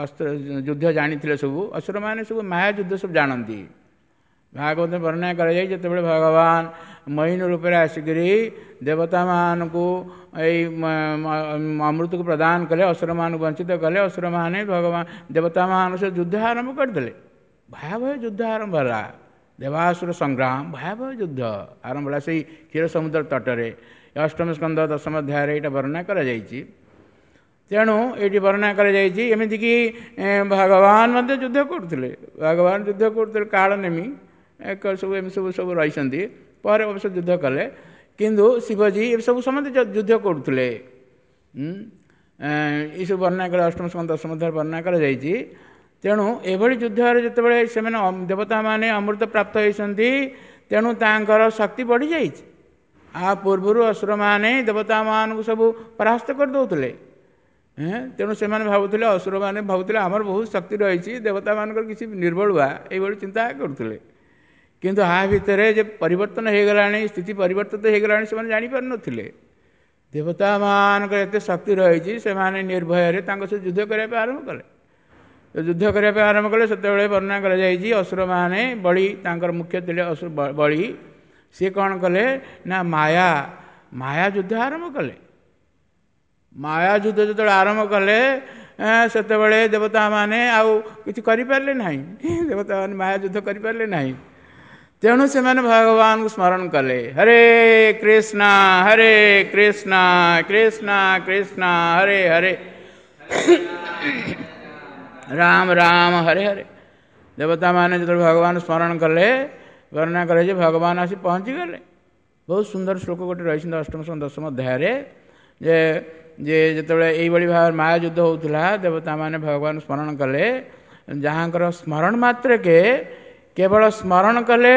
ଅସ୍ତ୍ର ଯୁଦ୍ଧ ଜାଣିଥିଲେ ସବୁ। ଅସୁରମାନେ ସବୁ ମାୟା ଯୁଦ୍ଧ ସବୁ ଜାଣନ୍ତି। ଭାଗବତ ବର୍ଣ୍ଣନା କରାଯାଇ, ଯେତେବେଳେ ଭଗବାନ ମହିନ ରୂପରେ ଆସିକରି ଦେବତାମାନଙ୍କୁ ଏଇ ଅମୃତକୁ ପ୍ରଦାନ କଲେ, ଅସୁରମାନଙ୍କୁ ବଞ୍ଚିତ କଲେ, ଅସୁରମାନେ ଭଗବାନ ଦେବତାମାନଙ୍କ ସହ ଯୁଦ୍ଧ ଆରମ୍ଭ କରିଦେଲେ। ଭୟାବହ ଯୁଦ୍ଧ ଆରମ୍ଭ ହେଲା, ଦେବାସୁର ସଂଗ୍ରାମ, ଭୟାବହ ଯୁଦ୍ଧ ଆରମ୍ଭ ହେଲା ସେଇ କ୍ଷୀର ସମୁଦ୍ର ତଟରେ। ଅଷ୍ଟମ ସ୍କନ୍ଦ ଦଶମ ଅଧ୍ୟାୟରେ ଏଇଟା ବର୍ଣ୍ଣନା କରାଯାଇଛି। ତେଣୁ ଏଇଠି ବର୍ଣ୍ଣନା କରାଯାଇଛି, ଏମିତିକି ଭଗବାନ ମଧ୍ୟ ଯୁଦ୍ଧ କରୁଥିଲେ, ଭଗବାନ ଯୁଦ୍ଧ କରୁଥିଲେ, କାଳନେମି ଏକ ସବୁ ଏମିତି ସବୁ ସବୁ ରହିଛନ୍ତି, ପରେ ଅବଶ୍ୟ ଯୁଦ୍ଧ କଲେ। କିନ୍ତୁ ଶିବଜୀ ଏସବୁ ସମସ୍ତେ ଯୁଦ୍ଧ କରୁଥିଲେ। ଏସବୁ ବର୍ଣ୍ଣନା କଲେ ଅଷ୍ଟମ ସ୍କନ୍ଦ ଦଶମ ଅଧ୍ୟାୟରେ ବର୍ଣ୍ଣନା କରାଯାଇଛି। ତେଣୁ ଏଭଳି ଯୁଦ୍ଧରେ ଯେତେବେଳେ ସେମାନେ ଦେବତାମାନେ ଅମୃତ ପ୍ରାପ୍ତ ହୋଇଛନ୍ତି, ତେଣୁ ତାଙ୍କର ଶକ୍ତି ବଢ଼ିଯାଇଛି। ଆ ପୂର୍ବରୁ ଅସୁରମାନେ ଦେବତାମାନଙ୍କୁ ସବୁ ପରାସ୍ତ କରିଦେଉଥିଲେ। ତେଣୁ ସେମାନେ ଭାବୁଥିଲେ, ଅସୁରମାନେ ଭାବୁଥିଲେ ଆମର ବହୁତ ଶକ୍ତି ରହିଛି, ଦେବତାମାନଙ୍କର କିଛି ନିର୍ବଳୁଆ, ଏଇଭଳି ଚିନ୍ତା କରୁଥିଲେ। କିନ୍ତୁ ଆ ଭିତରେ ଯେ ପରିବର୍ତ୍ତନ ହେଇଗଲାଣି, ସ୍ଥିତି ପରିବର୍ତ୍ତିତ ହେଇଗଲାଣି, ସେମାନେ ଜାଣିପାରୁନଥିଲେ। ଦେବତାମାନଙ୍କର ଏତେ ଶକ୍ତି ରହିଛି, ସେମାନେ ନିର୍ଭୟରେ ତାଙ୍କ ସହିତ ଯୁଦ୍ଧ କରିବା ପାଇଁ ଆରମ୍ଭ କଲେ। ଯୁଦ୍ଧ କରିବା ପାଇଁ ଆରମ୍ଭ କଲେ, ସେତେବେଳେ ବର୍ଣ୍ଣନା କରାଯାଇଛି, ଅସୁରମାନେ ବଳି, ତାଙ୍କର ମୁଖ୍ୟ ଥିଲେ ଅସୁର ବଳି, ସିଏ କ'ଣ କଲେ ନା ମାୟା ଯୁଦ୍ଧ ଆରମ୍ଭ କଲେ। ମାୟା ଯୁଦ୍ଧ ଯେତେବେଳେ ଆରମ୍ଭ କଲେ, ସେତେବେଳେ ଦେବତାମାନେ ଆଉ କିଛି କରିପାରିଲେ ନାହିଁ, ଦେବତାମାନେ ମାୟା ଯୁଦ୍ଧ କରିପାରିଲେ ନାହିଁ। ତେଣୁ ସେମାନେ ଭଗବାନଙ୍କୁ ସ୍ମରଣ କଲେ, ହରେ କୃଷ୍ଣ ହରେ କୃଷ୍ଣ କୃଷ୍ଣ କୃଷ୍ଣ ହରେ ହରେ, ରାମ ରାମ ହରେ ହରେ। ଦେବତାମାନେ ଯେତେବେଳେ ଭଗବାନ ସ୍ମରଣ କଲେ, ବର୍ଣ୍ଣନା କଲେ ଯେ ଭଗବାନ ଆସି ପହଞ୍ଚିଗଲେ। ବହୁତ ସୁନ୍ଦର ଶ୍ଲୋକ ଗୋଟେ ରହିଛନ୍ତି ଅଷ୍ଟମ ଦଶମ ଅଧ୍ୟାୟରେ, ଯେ ଯେତେବେଳେ ଏଇଭଳି ଭାବରେ ମାୟା ଯୁଦ୍ଧ ହେଉଥିଲା, ଦେବତାମାନେ ଭଗବାନ ସ୍ମରଣ କଲେ, ଯାହାଙ୍କର ସ୍ମରଣ ମାତ୍ରକେ, କେବଳ ସ୍ମରଣ କଲେ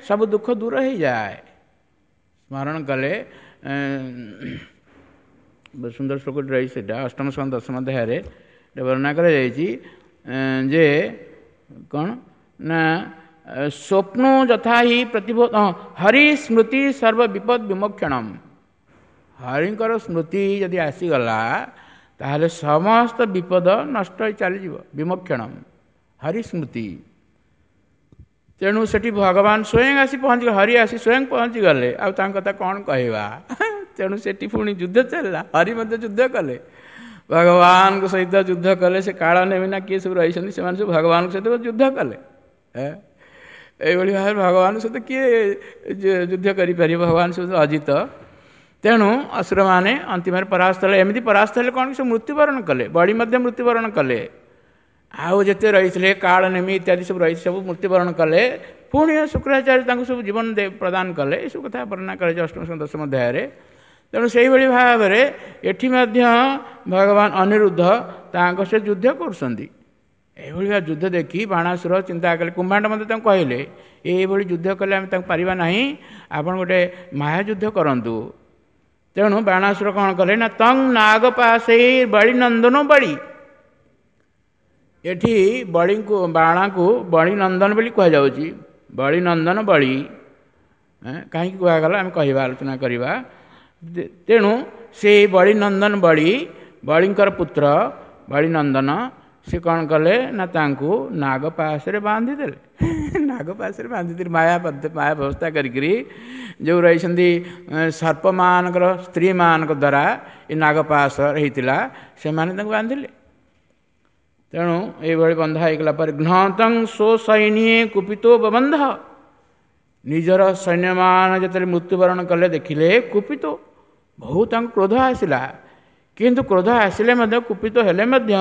ସବୁ ଦୁଃଖ ଦୂର ହେଇଯାଏ। ସ୍ମରଣ କଲେ, ସୁନ୍ଦର ଶ୍ଲୋକଟି ରହିଛି ସେଇଟା ଅଷ୍ଟମ ସ୍କନ୍ଧ ଦଶମ ଅଧ୍ୟାୟରେ ବର୍ଣ୍ଣନା କରାଯାଇଛି ଯେ କ'ଣ ନା, ସ୍ୱପ୍ନ ଯଥା ହି ପ୍ରତିବୋଧ ହରି ସ୍ମୃତି ସର୍ବ ବିପଦ ବିମୋକ୍ଷଣମ। ହରିଙ୍କର ସ୍ମୃତି ଯଦି ଆସିଗଲା ତାହେଲେ ସମସ୍ତ ବିପଦ ନଷ୍ଟ ହୋଇ ଚାଲିଯିବ। ବିମୋକ୍ଷଣମ୍ ହରି ସ୍ମୃତି। ତେଣୁ ସେଠି ଭଗବାନ ସ୍ୱୟଂ ଆସି ପହଞ୍ଚି, ହରି ଆସି ସ୍ୱୟଂ ପହଞ୍ଚିଗଲେ, ଆଉ ତାଙ୍କ କଥା କ'ଣ କହିବା। ତେଣୁ ସେଠି ପୁଣି ଯୁଦ୍ଧ ଚାଲିଲା, ହରି ମଧ୍ୟ ଯୁଦ୍ଧ କଲେ, ଭଗବାନଙ୍କ ସହିତ ଯୁଦ୍ଧ କଲେ। ସେ କାଳ ନେମି ନା କିଏ ସବୁ ରହିଛନ୍ତି, ସେମାନେ ସବୁ ଭଗବାନଙ୍କ ସହିତ ଯୁଦ୍ଧ କଲେ। ଏଇଭଳି ଭାବରେ ଭଗବାନଙ୍କ ସହିତ କିଏ ଯୁଦ୍ଧ କରିପାରିବ? ଭଗବାନ ସହିତ ଅଜିତ। ତେଣୁ ଅସୁରମାନେ ଅନ୍ତିମରେ ପରାସ୍ତ ହେଲେ। ଏମିତି ପରାସ୍ତ ହେଲେ କ'ଣ କି ସବୁ ମୃତ୍ୟୁବରଣ କଲେ, ବଳି ମଧ୍ୟ ମୃତ୍ୟୁବରଣ କଲେ, ଆଉ ଯେତେ ରହିଥିଲେ କାଳ ନେମି ଇତ୍ୟାଦି ସବୁ ରହି ସବୁ ମୃତ୍ୟୁବରଣ କଲେ। ପୁଣି ଶୁକ୍ରାଚାର୍ଯ୍ୟ ତାଙ୍କୁ ସବୁ ଜୀବନ ପ୍ରଦାନ କଲେ। ଏସବୁ କଥା ବର୍ଣ୍ଣନା କରାଯାଇଛି ଅଷ୍ଟମ ଦଶମ ଅଧ୍ୟାୟରେ। ତେଣୁ ସେଇଭଳି ଭାବରେ ଏଠି ମଧ୍ୟ ଭଗବାନ ଅନିରୁଦ୍ଧ ତାଙ୍କ ସହିତ ଯୁଦ୍ଧ କରୁଛନ୍ତି। ଏଇଭଳି ଭାବେ ଯୁଦ୍ଧ ଦେଖି ବାଣାସୁର ଚିନ୍ତା କଲେ, କୁମ୍ଭାଣ୍ଡ ମଧ୍ୟ ତାଙ୍କୁ କହିଲେ ଏଇଭଳି ଯୁଦ୍ଧ କଲେ ଆମେ ତାଙ୍କୁ ପାରିବା ନାହିଁ, ଆପଣ ଗୋଟେ ମାୟା ଯୁଦ୍ଧ କରନ୍ତୁ। ତେଣୁ ବାଣାସୁର କ'ଣ କଲେ ନା ତଂ ନାଗପାଶେଇ ବଳିନନ୍ଦନ ବଳି, ଏଠି ବଳିଙ୍କୁ ବାଣାକୁ ବଳିନନ୍ଦନ ବୋଲି କୁହାଯାଉଛି। ବଳିନନ୍ଦନ ବଳି କାହିଁକି କୁହାଗଲା ଆମେ କହିବା, ଆଲୋଚନା କରିବା। ତେଣୁ ସେ ବଳିନନ୍ଦନ ବଳି, ବଳିଙ୍କର ପୁତ୍ର ବଳିନନ୍ଦନ, ସେ କ'ଣ କଲେ ନା ତାଙ୍କୁ ନାଗପାଶରେ ବାନ୍ଧିଦେଲେ। ନାଗପାଶରେ ବାନ୍ଧିଦେଲେ ମାୟା ମାୟା ବ୍ୟବସ୍ଥା କରିକିରି, ଯେଉଁ ରହିଛନ୍ତି ସର୍ପମାନଙ୍କର ସ୍ତ୍ରୀମାନଙ୍କ ଦ୍ୱାରା ଏ ନାଗପାଶ ହେଇଥିଲା, ସେମାନେ ତାଙ୍କୁ ବାନ୍ଧିଲେ। ତେଣୁ ଏଇଭଳି ବନ୍ଧା ହେଇଗଲା ପରେ ଘ୍ନତଂ ସ୍ୱସୈନ୍ୟେ କୁପିତୋ ବବନ୍ଧ, ନିଜର ସୈନ୍ୟମାନ ଯେତେବେଳେ ମୃତ୍ୟୁବରଣ କଲେ ଦେଖିଲେ କୁପିତ, ବହୁତ ତାଙ୍କୁ କ୍ରୋଧ ଆସିଲା। କିନ୍ତୁ କ୍ରୋଧ ଆସିଲେ ମଧ୍ୟ, କୁପିତ ହେଲେ ମଧ୍ୟ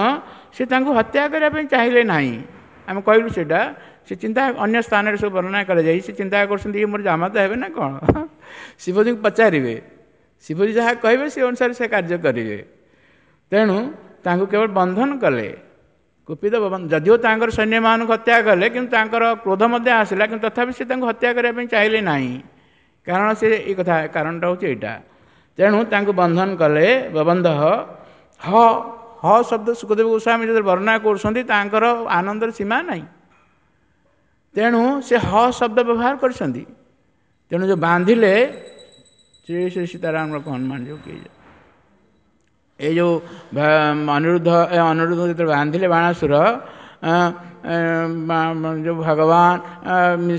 ସେ ତାଙ୍କୁ ହତ୍ୟା କରିବା ପାଇଁ ଚାହିଁଲେ ନାହିଁ। ଆମେ କହିଲୁ ସେଇଟା, ସେ ଚିନ୍ତା ଅନ୍ୟ ସ୍ଥାନରେ ସବୁ ବର୍ଣ୍ଣନା କରାଯାଇ, ସେ ଚିନ୍ତା କରୁଛନ୍ତି ଇଏ ମୋର ଜାମାତା ହେବେ ନା କ'ଣ। ଶିବଜୀଙ୍କୁ ପଚାରିବେ, ଶିବଜୀ ଯାହା କହିବେ ସେ ଅନୁସାରେ ସେ କାର୍ଯ୍ୟ କରିବେ। ତେଣୁ ତାଙ୍କୁ କେବଳ ବନ୍ଧନ କଲେ, କୁପିତ। ଯଦିଓ ତାଙ୍କର ସୈନ୍ୟମାନଙ୍କୁ ହତ୍ୟା କଲେ, କିନ୍ତୁ ତାଙ୍କର କ୍ରୋଧ ମଧ୍ୟ ଆସିଲା, କିନ୍ତୁ ତଥାପି ସେ ତାଙ୍କୁ ହତ୍ୟା କରିବା ପାଇଁ ଚାହିଁଲେ ନାହିଁ। କାରଣ ସେ ଏଇ କଥା, କାରଣଟା ହେଉଛି ଏଇଟା। ତେଣୁ ତାଙ୍କୁ ବନ୍ଧନ କଲେ। ବବନ୍ଧ ହ ହ ଶବ୍ଦ ଶୁକଦେବ ଗୋସ୍ୱାମୀ ଯେତେବେଳେ ବର୍ଣ୍ଣନା କରୁଛନ୍ତି ତାଙ୍କର ଆନନ୍ଦର ସୀମା ନାହିଁ। ତେଣୁ ସେ ହ ଶବ୍ଦ ବ୍ୟବହାର କରିଛନ୍ତି। ତେଣୁ ଯେଉଁ ବାନ୍ଧିଲେ ଶ୍ରୀ ଶ୍ରୀ ସୀତାରାମ ହନୁମାନ ଯେଉଁ କିଏ ଏଇ ଯେଉଁ ଅନିରୁଦ୍ଧ, ଅନିରୁଦ୍ଧ ଯେତେବେଳେ ବାନ୍ଧିଲେ ବାଣାସୁର, ଯେଉଁ ଭଗବାନ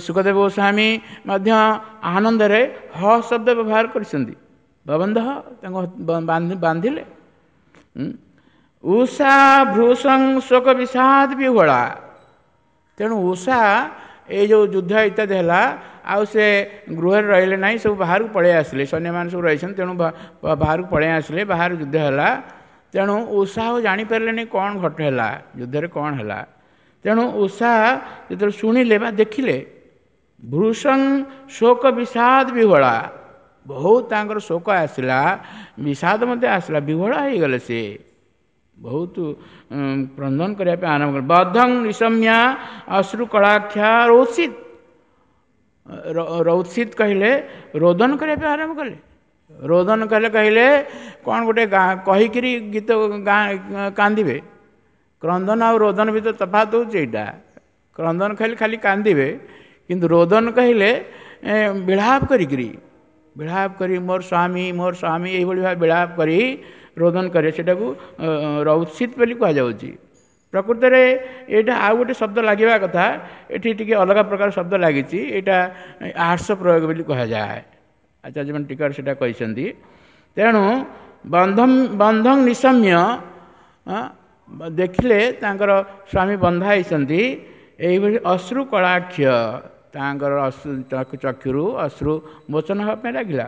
ଶୁକଦେବ ଗୋସ୍ୱାମୀ ମଧ୍ୟ ଆନନ୍ଦରେ ହ ଶବ୍ଦ ବ୍ୟବହାର କରିଛନ୍ତି। ବବନ୍ଧ ତାଙ୍କୁ ବାନ୍ଧିଲେ। ଉଷା ଭୃଷଂ ଶୋକ ବିଷାଦ ବିହ୍ୱଳା, ତେଣୁ ଉଷା ଏଇ ଯେଉଁ ଯୁଦ୍ଧ ଇତ୍ୟାଦି ହେଲା, ଆଉ ସେ ଗୃହରେ ରହିଲେ ନାହିଁ, ସବୁ ବାହାରକୁ ପଳେଇ ଆସିଲେ। ସୈନ୍ୟମାନେ ସବୁ ରହିଛନ୍ତି, ତେଣୁ ବାହାରକୁ ପଳେଇ ଆସିଲେ, ବାହାରୁ ଯୁଦ୍ଧ ହେଲା। ତେଣୁ ଉଷା ଆଉ ଜାଣିପାରିଲେନି କ'ଣ ଘଟ ହେଲା, ଯୁଦ୍ଧରେ କ'ଣ ହେଲା। ତେଣୁ ଉଷା ଯେତେବେଳେ ଶୁଣିଲେ ବା ଦେଖିଲେ, ଭୃଷଂ ଶୋକ ବିଷାଦ ବିହ୍ୱଳା, ବହୁତ ତାଙ୍କର ଶୋକ ଆସିଲା, ବିଷାଦ ମଧ୍ୟ ଆସିଲା, ବିହ୍ୱଳା ହେଇଗଲେ ସେ, ବହୁତ କ୍ରନ୍ଦନ କରିବା ପାଇଁ ଆରମ୍ଭ କଲେ। ବଦ୍ଧଂ ନିଶମ୍ୟା ଅଶ୍ରୁ କଳାକ୍ଷା ରୌସିତ, ରୌସିତ କହିଲେ ରୋଦନ କରିବା ପାଇଁ ଆରମ୍ଭ କଲେ। ରୋଦନ କଲେ କହିଲେ କ'ଣ ଗୋଟେ କହିକିରି ଗୀତ କାନ୍ଦିବେ। କ୍ରନ୍ଦନ ଆଉ ରୋଦନ ଭିତରେ ତଫାତ ହେଉଛି ଏଇଟା। କ୍ରନ୍ଦନ କହିଲେ ଖାଲି କାନ୍ଦିବେ, କିନ୍ତୁ ରୋଦନ କହିଲେ ବିଳାପ କରିକିରି, ବିଳାପ କରି ମୋର ସ୍ୱାମୀ ମୋର ସ୍ୱାମୀ ଏଇଭଳି ଭାବେ ବିଳାପ କରି ରୋଦନ କରେ, ସେଟାକୁ ରୌସିତ ବୋଲି କୁହାଯାଉଛି। ପ୍ରକୃତରେ ଏଇଟା ଆଉ ଗୋଟେ ଶବ୍ଦ ଲାଗିବା କଥା, ଏଠି ଟିକେ ଅଲଗା ପ୍ରକାର ଶବ୍ଦ ଲାଗିଛି। ଏଇଟା ଆର୍ଷ ପ୍ରୟୋଗ ବୋଲି କୁହାଯାଏ, ଆଚାର୍ଯ୍ୟମାନେ ଟୀକାରେ ସେଇଟା କହିଛନ୍ତି। ତେଣୁ ବନ୍ଧଂ ନିଶମ୍ୟ ଦେଖିଲେ ତାଙ୍କର ସ୍ୱାମୀ ବନ୍ଧା ହେଇଛନ୍ତି, ଏଇଭଳି ଅଶ୍ରୁ କଳାକ୍ଷ, ତାଙ୍କର ଅଶ୍ରୁ ଚକ୍ଷୁରୁ ଅଶ୍ରୁ ମୋଚନ ହେବା ପାଇଁ ଲାଗିଲା।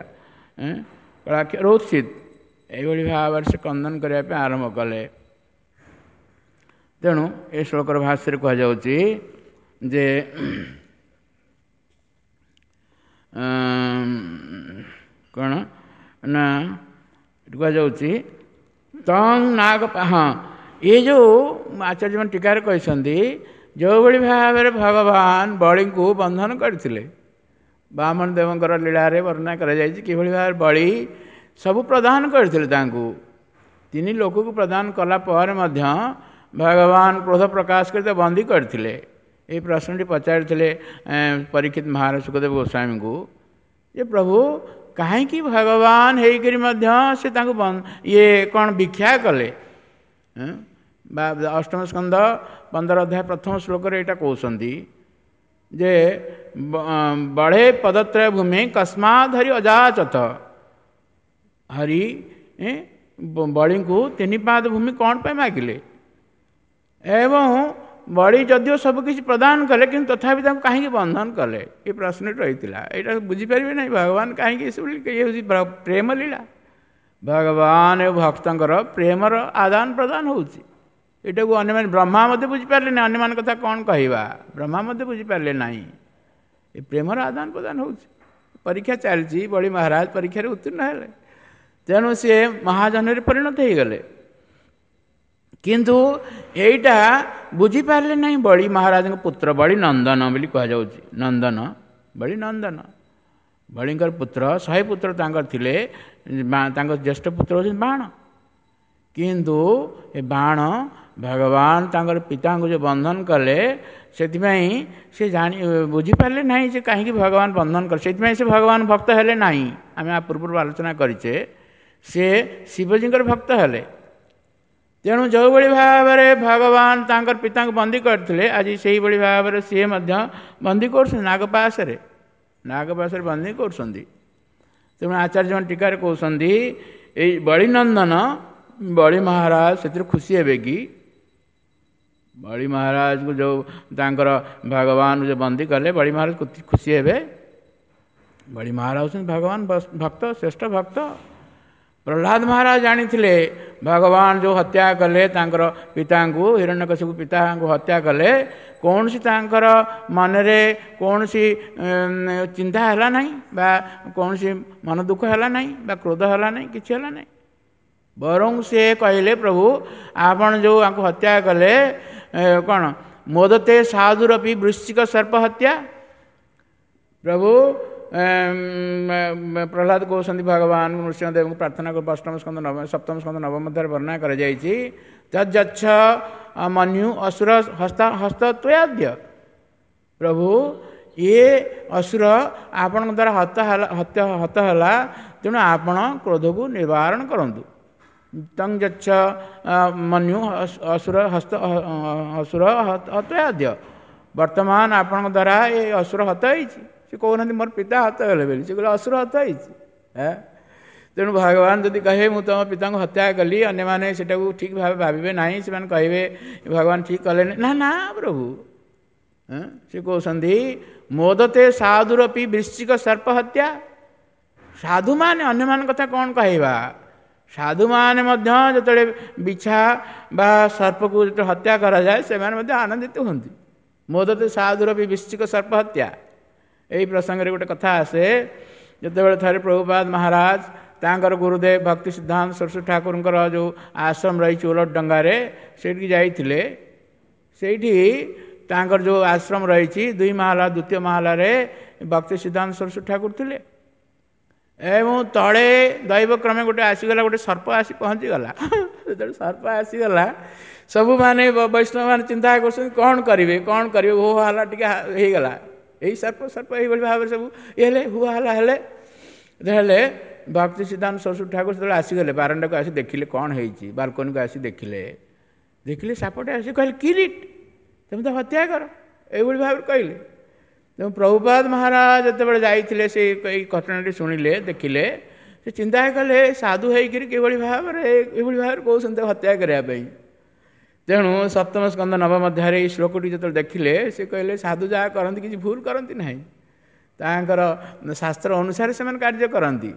କଳାକ୍ଷ ରୌସିତ, ଏଇଭଳି ଭାବରେ ସେ କ୍ରନ୍ଦନ କରିବା ପାଇଁ ଆରମ୍ଭ କଲେ। ତେଣୁ ଏ ଶ୍ଲୋକର ଭାଷ୍ୟରେ କୁହାଯାଉଛି ଯେ କ'ଣ ନା କୁହାଯାଉଛି ତଂ ନାଗ, ହଁ ଏ ଯେଉଁ ଆଚାର୍ଯ୍ୟମାନେ ଟୀକାରେ କହିଛନ୍ତି, ଯେଉଁଭଳି ଭାବରେ ଭଗବାନ ବଳିଙ୍କୁ ବନ୍ଧନ କରିଥିଲେ, ବାମନ ଦେବଙ୍କର ଲୀଳାରେ ବର୍ଣ୍ଣନା କରାଯାଇଛି କିଭଳି ଭାବରେ ବଳି ସବୁ ପ୍ରଦାନ କରିଥିଲେ ତାଙ୍କୁ, ତିନି ଲୋକକୁ ପ୍ରଦାନ କଲା ପରେ ମଧ୍ୟ ଭଗବାନ କ୍ରୋଧ ପ୍ରକାଶ କରି ତାକୁ ବନ୍ଦୀ କରିଥିଲେ। ଏଇ ପ୍ରଶ୍ନଟି ପଚାରିଥିଲେ ପରୀକ୍ଷିତ ମହାରାଜ ଶୁକଦେବ ଗୋସ୍ୱାମୀଙ୍କୁ ଯେ ପ୍ରଭୁ କାହିଁକି ଭଗବାନ ହେଇକରି ମଧ୍ୟ ସେ ତାଙ୍କୁ ଇଏ କ'ଣ ଭିକ୍ଷା କଲେ? ବା ଅଷ୍ଟମ ସ୍କନ୍ଧ 15 ଅଧ୍ୟାୟ ପ୍ରଥମ ଶ୍ଲୋକରେ ଏଇଟା କହୁଛନ୍ତି ଯେ ବଢ଼େ ପଦତ୍ରୟ ଭୂମି କସ୍ମାତ୍ ହରି ଅଯାଚତ। ହରି ବଳିଙ୍କୁ 3 ପାଦ ଭୂମି କ'ଣ ପାଇଁ ମାଗିଲେ? ଏବଂ ବଳି ଯଦିଓ ସବୁକିଛି ପ୍ରଦାନ କଲେ, କିନ୍ତୁ ତଥାପି ତାଙ୍କୁ କାହିଁକି ବନ୍ଧନ କଲେ? ଏ ପ୍ରଶ୍ନଟି ରହିଥିଲା। ଏଇଟା ବୁଝିପାରିବେ ନାହିଁ ଭଗବାନ କାହିଁକି ଏସବୁ। ଇଏ ହେଉଛି ପ୍ରେମ ଲୀଳା। ଭଗବାନ ଏବଂ ଭକ୍ତଙ୍କର ପ୍ରେମର ଆଦାନ ପ୍ରଦାନ ହେଉଛି। ଏଇଟାକୁ ଅନ୍ୟମାନେ, ବ୍ରହ୍ମା ମଧ୍ୟ ବୁଝିପାରିଲେ ନାହିଁ, ଅନ୍ୟମାନଙ୍କ କଥା କ'ଣ କହିବା, ବ୍ରହ୍ମା ମଧ୍ୟ ବୁଝିପାରିଲେ ନାହିଁ। ଏ ପ୍ରେମର ଆଦାନ ପ୍ରଦାନ ହେଉଛି। ପରୀକ୍ଷା ଚାଲିଛି, ବଳି ମହାରାଜ ପରୀକ୍ଷାରେ ଉତ୍ତୀର୍ଣ୍ଣ ହେଲେ, ତେଣୁ ସିଏ ମହାଜନରେ ପରିଣତ ହେଇଗଲେ। କିନ୍ତୁ ଏଇଟା ବୁଝିପାରିଲେ ନାହିଁ ବଳି ମହାରାଜଙ୍କ ପୁତ୍ର ବଳି ନନ୍ଦନ ବୋଲି କୁହାଯାଉଛି। ନନ୍ଦନ, ବଳି ନନ୍ଦନ, ବଳିଙ୍କର ପୁତ୍ର 100 ପୁତ୍ର ତାଙ୍କର ଥିଲେ। ତାଙ୍କ ଜ୍ୟେଷ୍ଠ ପୁତ୍ର ହେଉଛନ୍ତି ବାଣ। କିନ୍ତୁ ଏ ବାଣ ଭଗବାନ ତାଙ୍କର ପିତାଙ୍କୁ ଯେଉଁ ବନ୍ଧନ କଲେ, ସେଥିପାଇଁ ସେ ଜାଣି ବୁଝିପାରିଲେ ନାହିଁ ଯେ କାହିଁକି ଭଗବାନ ବନ୍ଧନ କଲେ। ସେଥିପାଇଁ ସେ ଭଗବାନ ଭକ୍ତ ହେଲେ ନାହିଁ। ଆମେ ଆ ପୂର୍ବରୁ ଆଲୋଚନା କରିଛେ, ସେ ଶିବଜୀଙ୍କର ଭକ୍ତ ହେଲେ। ତେଣୁ ଯେଉଁଭଳି ଭାବରେ ଭଗବାନ ତାଙ୍କର ପିତାଙ୍କୁ ବନ୍ଦୀ କରିଥିଲେ, ଆଜି ସେଇଭଳି ଭାବରେ ସିଏ ମଧ୍ୟ ବନ୍ଦୀ କରୁଛନ୍ତି ନାଗପାଶରେ, ନାଗପାଶରେ ବନ୍ଦୀ କରୁଛନ୍ତି। ତେଣୁ ଆଚାର୍ଯ୍ୟମାନେ ଟୀକାରେ କହୁଛନ୍ତି, ଏଇ ବଳିନନ୍ଦନ ବଳି ମହାରାଜ ସେଥିରେ ଖୁସି ହେବେ କି? ବଳି ମହାରାଜକୁ ଯେଉଁ ତାଙ୍କର ଭଗବାନ ଯେଉଁ ବନ୍ଦୀ କଲେ, ବଳି ମହାରାଜ ଖୁସି ହେବେ? ବଳି ମହାରାଜ ହେଉଛନ୍ତି ଭଗବାନ ଭକ୍ତ, ଶ୍ରେଷ୍ଠ ଭକ୍ତ। ପ୍ରହ୍ଲାଦ ମହାରାଜ ଜାଣିଥିଲେ ଭଗବାନ ଯେଉଁ ହତ୍ୟା କଲେ ତାଙ୍କର ପିତାଙ୍କୁ, ହିରଣ୍ୟକଶିପୁ ପିତାଙ୍କୁ ହତ୍ୟା କଲେ, କୌଣସି ତାଙ୍କର ମନରେ କୌଣସି ଚିନ୍ତା ହେଲା ନାହିଁ, ବା କୌଣସି ମନ ଦୁଃଖ ହେଲା ନାହିଁ, ବା କ୍ରୋଧ ହେଲା ନାହିଁ, କିଛି ହେଲା ନାହିଁ। ବରଂ ସେ କହିଲେ, ପ୍ରଭୁ ଆପଣ ଯେଉଁ ଆଙ୍କୁ ହତ୍ୟା କଲେ, କ'ଣ ମୋଦତେ ସାଧୁରପି ବୃଶ୍ଚିକ ସର୍ପ ହତ୍ୟା। ପ୍ରଭୁ ପ୍ରହ୍ଲାଦ କହୁଛନ୍ତି ଭଗବାନ ନୃସିଂହଦେବଙ୍କୁ ପ୍ରାର୍ଥନା, ଅଷ୍ଟମ ସ୍କନ୍ଧ ନବ ସପ୍ତମ ସ୍କନ୍ଧ ନବମ ମଧ୍ୟରେ ବର୍ଣ୍ଣନା କରାଯାଇଛି, ତଜ୍ଜଚ୍ଛ ମନ୍ୟୁ ଅସୁର ହସ୍ତ ହସ୍ତତ୍ୱୟାଦ୍ୟ। ପ୍ରଭୁ ଇଏ ଅସୁର ଆପଣଙ୍କ ଦ୍ୱାରା ହତ ହେଲା, ହତ ହେଲା, ତେଣୁ ଆପଣ କ୍ରୋଧକୁ ନିବାରଣ କରନ୍ତୁ। ତଂ ଯଚ୍ଛ ମନ୍ୟୁ ଅସୁର ହସ୍ତ ଅସୁର ହତୟାଦ୍ୟ। ବର୍ତ୍ତମାନ ଆପଣଙ୍କ ଦ୍ୱାରା ଏ ଅସୁର ହତ ହେଇଛି। ସେ କହୁନାହାନ୍ତି ମୋର ପିତା ହତ ହେଲେ ବୋଲି, ସେ କହିଲେ ଅସୁର ହତ ହେଇଛି। ତେଣୁ ଭଗବାନ ଯଦି କହିବେ ମୁଁ ତୁମ ପିତାଙ୍କୁ ହତ୍ୟା କଲି, ଅନ୍ୟମାନେ ସେଟାକୁ ଠିକ୍ ଭାବେ ଭାବିବେ ନାହିଁ। ସେମାନେ କହିବେ ଭଗବାନ ଠିକ୍ କଲେନି। ନା ନା ପ୍ରଭୁ, ସେ କହୁଛନ୍ତି ମୋଦତେ ସାଧୁରପି ବୃଶ୍ଚିକ ସର୍ପ ହତ୍ୟା। ସାଧୁମାନେ, ଅନ୍ୟମାନଙ୍କ କଥା କ'ଣ କହିବା, ସାଧୁମାନେ ମଧ୍ୟ ଯେତେବେଳେ ବିଛା ବା ସର୍ପକୁ ଯେତେବେଳେ ହତ୍ୟା କରାଯାଏ, ସେମାନେ ମଧ୍ୟ ଆନନ୍ଦିତ ହୁଅନ୍ତି। ମୋଦତେ ସାଧୁରପି ବୃଶ୍ଚିକ ସର୍ପ ହତ୍ୟା। ଏହି ପ୍ରସଙ୍ଗରେ ଗୋଟେ କଥା ଆସେ, ଯେତେବେଳେ ଥରେ ପ୍ରଭୁପାଦ ମହାରାଜ ତାଙ୍କର ଗୁରୁଦେବ ଭକ୍ତି ସିଦ୍ଧାନ୍ତ ସରସ୍ୱତୀ ଠାକୁରଙ୍କର ଯେଉଁ ଆଶ୍ରମ ରହିଛି ଓଲଟ ଡଙ୍ଗାରେ, ସେଇଠିକି ଯାଇଥିଲେ। ସେଇଠି ତାଙ୍କର ଯେଉଁ ଆଶ୍ରମ ରହିଛି 2 ମହଲା, ଦ୍ୱିତୀୟ ମହଲାରେ ଭକ୍ତି ସିଦ୍ଧାନ୍ତ ସରସ୍ୱତୀ ଠାକୁର ଥିଲେ। ଏବଂ ତଳେ ଦୈବକ୍ରମେ ଗୋଟେ ଆସିଗଲା, ଗୋଟେ ସର୍ପ ଆସି ପହଞ୍ଚିଗଲା। ଯେତେବେଳେ ସର୍ପ ଆସିଗଲା, ସବୁମାନେ ବୈଷ୍ଣବମାନେ ଚିନ୍ତା କରୁଛନ୍ତି କ'ଣ କରିବେ, କ'ଣ କରିବେ। ହୋ ହାଲା ଟିକେ ହେଇଗଲା, ଏଇ ସର୍ପ ସର୍ପ ଏଇଭଳି ଭାବରେ ସବୁ ଇଏ ହେଲେ, ହୁ ହାଲା ହେଲେ। ହେଲେ ଭକ୍ତି ସିଦ୍ଧାନ୍ତ ସରସ୍ୱତୀ ଠାକୁର ସେତେବେଳେ ଆସିଗଲେ ବାରଣ୍ଡାକୁ, ଆସି ଦେଖିଲେ କ'ଣ ହେଇଛି। ବାଲକୋନିକୁ ଆସି ଦେଖିଲେ, ଦେଖିଲେ ସାପଟେ ଆସି କହିଲେ କିରିଟ, ତୁମେ ତ ହତ୍ୟା କର, ଏଇଭଳି ଭାବରେ କହିଲେ। ତେଣୁ ପ୍ରଭୁପାଦ ମହାରାଜ ଯେତେବେଳେ ଯାଇଥିଲେ, ସେ ଏଇ ଘଟଣାଟି ଶୁଣିଲେ, ଦେଖିଲେ, ସେ ଚିନ୍ତା କଲେ ସାଧୁ ହେଇକରି କିଭଳି ଭାବରେ ଏଇଭଳି ଭାବରେ କହୁଛନ୍ତି ହତ୍ୟା କରିବା ପାଇଁ। ତେଣୁ ସପ୍ତମ ସ୍କନ୍ଧ ନବମ ଅଧ୍ୟାୟରେ ଏଇ ଶ୍ଲୋକଟି ଯେତେବେଳେ ଦେଖିଲେ, ସେ କହିଲେ ସାଧୁ ଯାହା କରନ୍ତି କିଛି ଭୁଲ କରନ୍ତି ନାହିଁ, ତାଙ୍କର ଶାସ୍ତ୍ର ଅନୁସାରେ ସେମାନେ କାର୍ଯ୍ୟ କରନ୍ତି।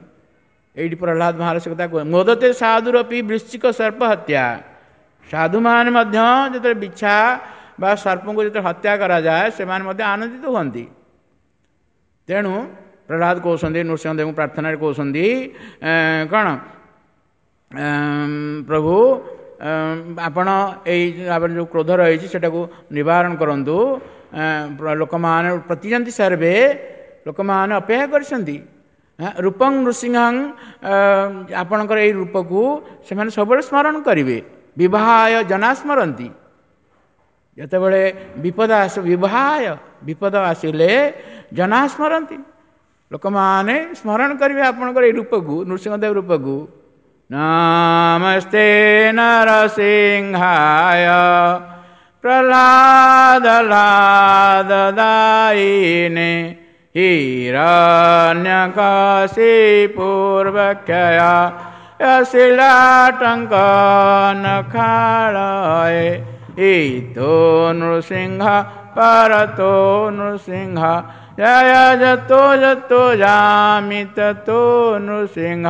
ଏଇଠି ପ୍ରହ୍ଲାଦ ମହାରାଜ କଥା କୁହ, ମୋଦତେ ସାଧୁରପି ବୃଶ୍ଚିକ ସର୍ପ ହତ୍ୟା। ସାଧୁମାନେ ମଧ୍ୟ ଯେତେବେଳେ ବିଛା ବା ସର୍ପଙ୍କୁ ଯେତେବେଳେ ହତ୍ୟା କରାଯାଏ, ସେମାନେ ମଧ୍ୟ ଆନନ୍ଦିତ ହୁଅନ୍ତି। ତେଣୁ ପ୍ରହ୍ଲାଦ କହୁଛନ୍ତି, ନୃସିଂହଦେବଙ୍କୁ ପ୍ରାର୍ଥନାରେ କହୁଛନ୍ତି କ'ଣ, ପ୍ରଭୁ ଆପଣ ଏଇ ଆପଣ ଯେଉଁ କ୍ରୋଧ ରହିଛି ସେଟାକୁ ନିବାରଣ କରନ୍ତୁ। ଲୋକମାନେ ପ୍ରତିଯନ୍ତି ସର୍ବେ, ଲୋକମାନେ ଅପେକ୍ଷା କରିଛନ୍ତି। ରୂପଂ ନୃସିଂହଂ, ଆପଣଙ୍କର ଏଇ ରୂପକୁ ସେମାନେ ସବୁବେଳେ ସ୍ମରଣ କରିବେ। ବିବାହାୟ ଜନା ସ୍ମରନ୍ତି, ଯେତେବେଳେ ବିପଦ ଆସ, ବିବାହାୟ ବିପଦ ଆସିଲେ ଜନା ସ୍ମରନ୍ତି, ଲୋକମାନେ ସ୍ମରଣ କରିବେ ଆପଣଙ୍କର ଏଇ ରୂପକୁ, ନୃସିଂହଦେବ ରୂପକୁ। ନମସ୍ତେ ନରସିଂହାୟ ପ୍ରହ୍ଲାଦ ଦାୟିନେ ହିରଣ୍ୟକଶିପୁର୍ବକ୍ଷୟ ଶିଳାଟଙ୍କ ନଖାଳଏ ଇତୋ ନୃସିଂହ ପରତୋ ନୃସିଂହ ଜୟ ଯତୋ ଯତୋ ଯାମି ତତୋ ନୃସିଂହ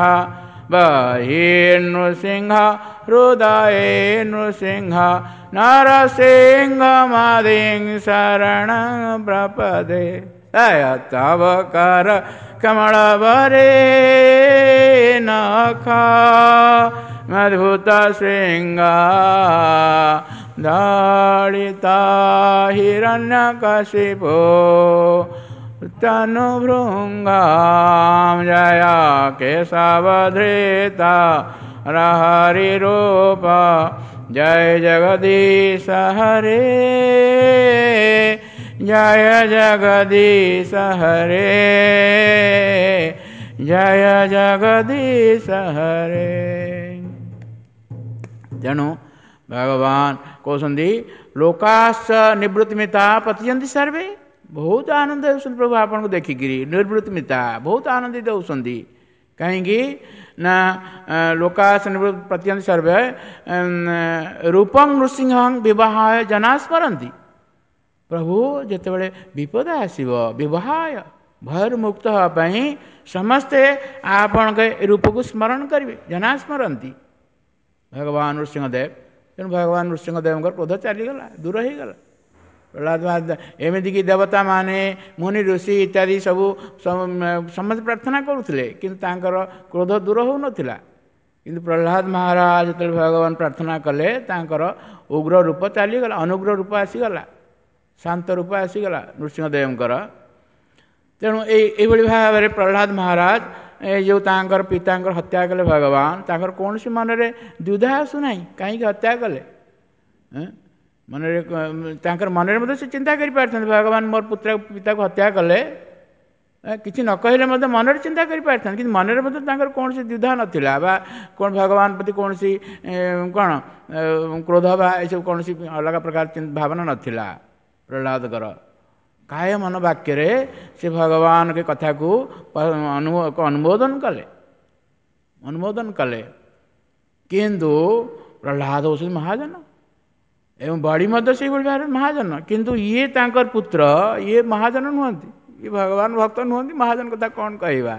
ବହିର୍ନୃସିଂହ ହୃଦୟେ ନୃସିଂହ ନରସିଂହମାଦିଂ ଶରଣଂ ପ୍ରପଦେ। ଜୟ ତବ କର କମଳବରେ ନଖ ମଦ୍ଭୁତ ଶୃଙ୍ଗ ଦଳିତ ହିରଣ୍ୟକଶିପୋ ତନୁଭୃଙ୍ଗାಂ ଜୟ କେଶବଧୃତ ହରିରୂପ ଜୟ ଜଗଦୀଶ ହରେ ଜୟ ଜଗଦୀଶ ହରେ ଜୟ ଜଗଦୀଶ ହରେ। ତେଣୁ ଭଗବାନ କହୁଛନ୍ତି ଲୋକାଶ୍ଚ ନିବୃତ୍ତିମିତା ପତିଛନ୍ତି ସର୍ବେ, ବହୁତ ଆନନ୍ଦ ହେଉଛନ୍ତି ପ୍ରଭୁ ଆପଣଙ୍କୁ ଦେଖିକିରି। ନିବୃତ୍ତିମିତା ବହୁତ ଆନନ୍ଦିତ ହେଉଛନ୍ତି, କାହିଁକି ନା ଲୋକାଶ୍ଚ ନିବୃତ୍ତି ପତିଛନ୍ତି ସର୍ବେ ରୂପଂ ନୃସିଂହଂ ବିବାହାୟ ଜନା ସ୍ମରନ୍ତି। ପ୍ରଭୁ ଯେତେବେଳେ ବିପଦ ଆସିବ ବିବାହାୟ ଭୟରୁ ମୁକ୍ତ ହେବା ପାଇଁ ସମସ୍ତେ ଆପଣଙ୍କ ରୂପକୁ ସ୍ମରଣ କରିବେ, ଜନା ସ୍ମରନ୍ତି ଭଗବାନ ନୃସିଂହଦେବ। ତେଣୁ ଭଗବାନ ନୃସିଂହଦେବଙ୍କର କ୍ରୋଧ ଚାଲିଗଲା, ଦୂର ହେଇଗଲା। ପ୍ରହ୍ଲାଦ ଏମିତିକି ଦେବତାମାନେ ମୁନି ଋଷି ଇତ୍ୟାଦି ସବୁ ସମସ୍ତେ ପ୍ରାର୍ଥନା କରୁଥିଲେ, କିନ୍ତୁ ତାଙ୍କର କ୍ରୋଧ ଦୂର ହେଉନଥିଲା। କିନ୍ତୁ ପ୍ରହ୍ଲାଦ ମହାରାଜ ଯେତେବେଳେ ଭଗବାନ ପ୍ରାର୍ଥନା କଲେ ତାଙ୍କର ଉଗ୍ର ରୂପ ଚାଲିଗଲା, ଅନୁଗ୍ର ରୂପ ଆସିଗଲା, ଶାନ୍ତ ରୂପ ଆସିଗଲା ନୃସିଂହଦେବଙ୍କର। ତେଣୁ ଏଇଭଳି ଭାବରେ ପ୍ରହ୍ଲାଦ ମହାରାଜ ଏ ଯେଉଁ ତାଙ୍କର ପିତାଙ୍କର ହତ୍ୟା କଲେ ଭଗବାନ, ତାଙ୍କର କୌଣସି ମନରେ ଦ୍ୱିଧା ଆସୁନାହିଁ କାହିଁକି ହତ୍ୟା କଲେ। ମନରେ ତାଙ୍କର ମନରେ ମଧ୍ୟ ସେ ଚିନ୍ତା କରିପାରିଥାନ୍ତେ ଭଗବାନ ମୋର ପୁତ୍ର ପିତାକୁ ହତ୍ୟା କଲେ, କିଛି ନ କହିଲେ ମଧ୍ୟ ମନରେ ଚିନ୍ତା କରିପାରିଥାନ୍ତେ, କିନ୍ତୁ ମନରେ ମଧ୍ୟ ତାଙ୍କର କୌଣସି ଦ୍ୱିଧା ନଥିଲା ବା କ'ଣ ଭଗବାନ ପ୍ରତି କୌଣସି କ'ଣ କ୍ରୋଧ ବା ଏସବୁ କୌଣସି ଅଲଗା ପ୍ରକାର ଭାବନା ନଥିଲା ପ୍ରହ୍ଲାଦଙ୍କର। କାୟ ମନ ବାକ୍ୟରେ ସେ ଭଗବାନଙ୍କ କଥାକୁ ଅନୁମୋଦନ କଲେ, ଅନୁମୋଦନ କଲେ। କିନ୍ତୁ ପ୍ରହ୍ଲାଦ ହେଉଛନ୍ତି ମହାଜନ ଏବଂ ବଳି ମଧ୍ୟ ସେଇଭଳି ଭାବରେ ମହାଜନ, କିନ୍ତୁ ଇଏ ତାଙ୍କର ପୁତ୍ର, ଇଏ ମହାଜନ ନୁହନ୍ତି, ଇଏ ଭଗବାନ ଭକ୍ତ ନୁହନ୍ତି, ମହାଜନ କଥା କ'ଣ କହିବା।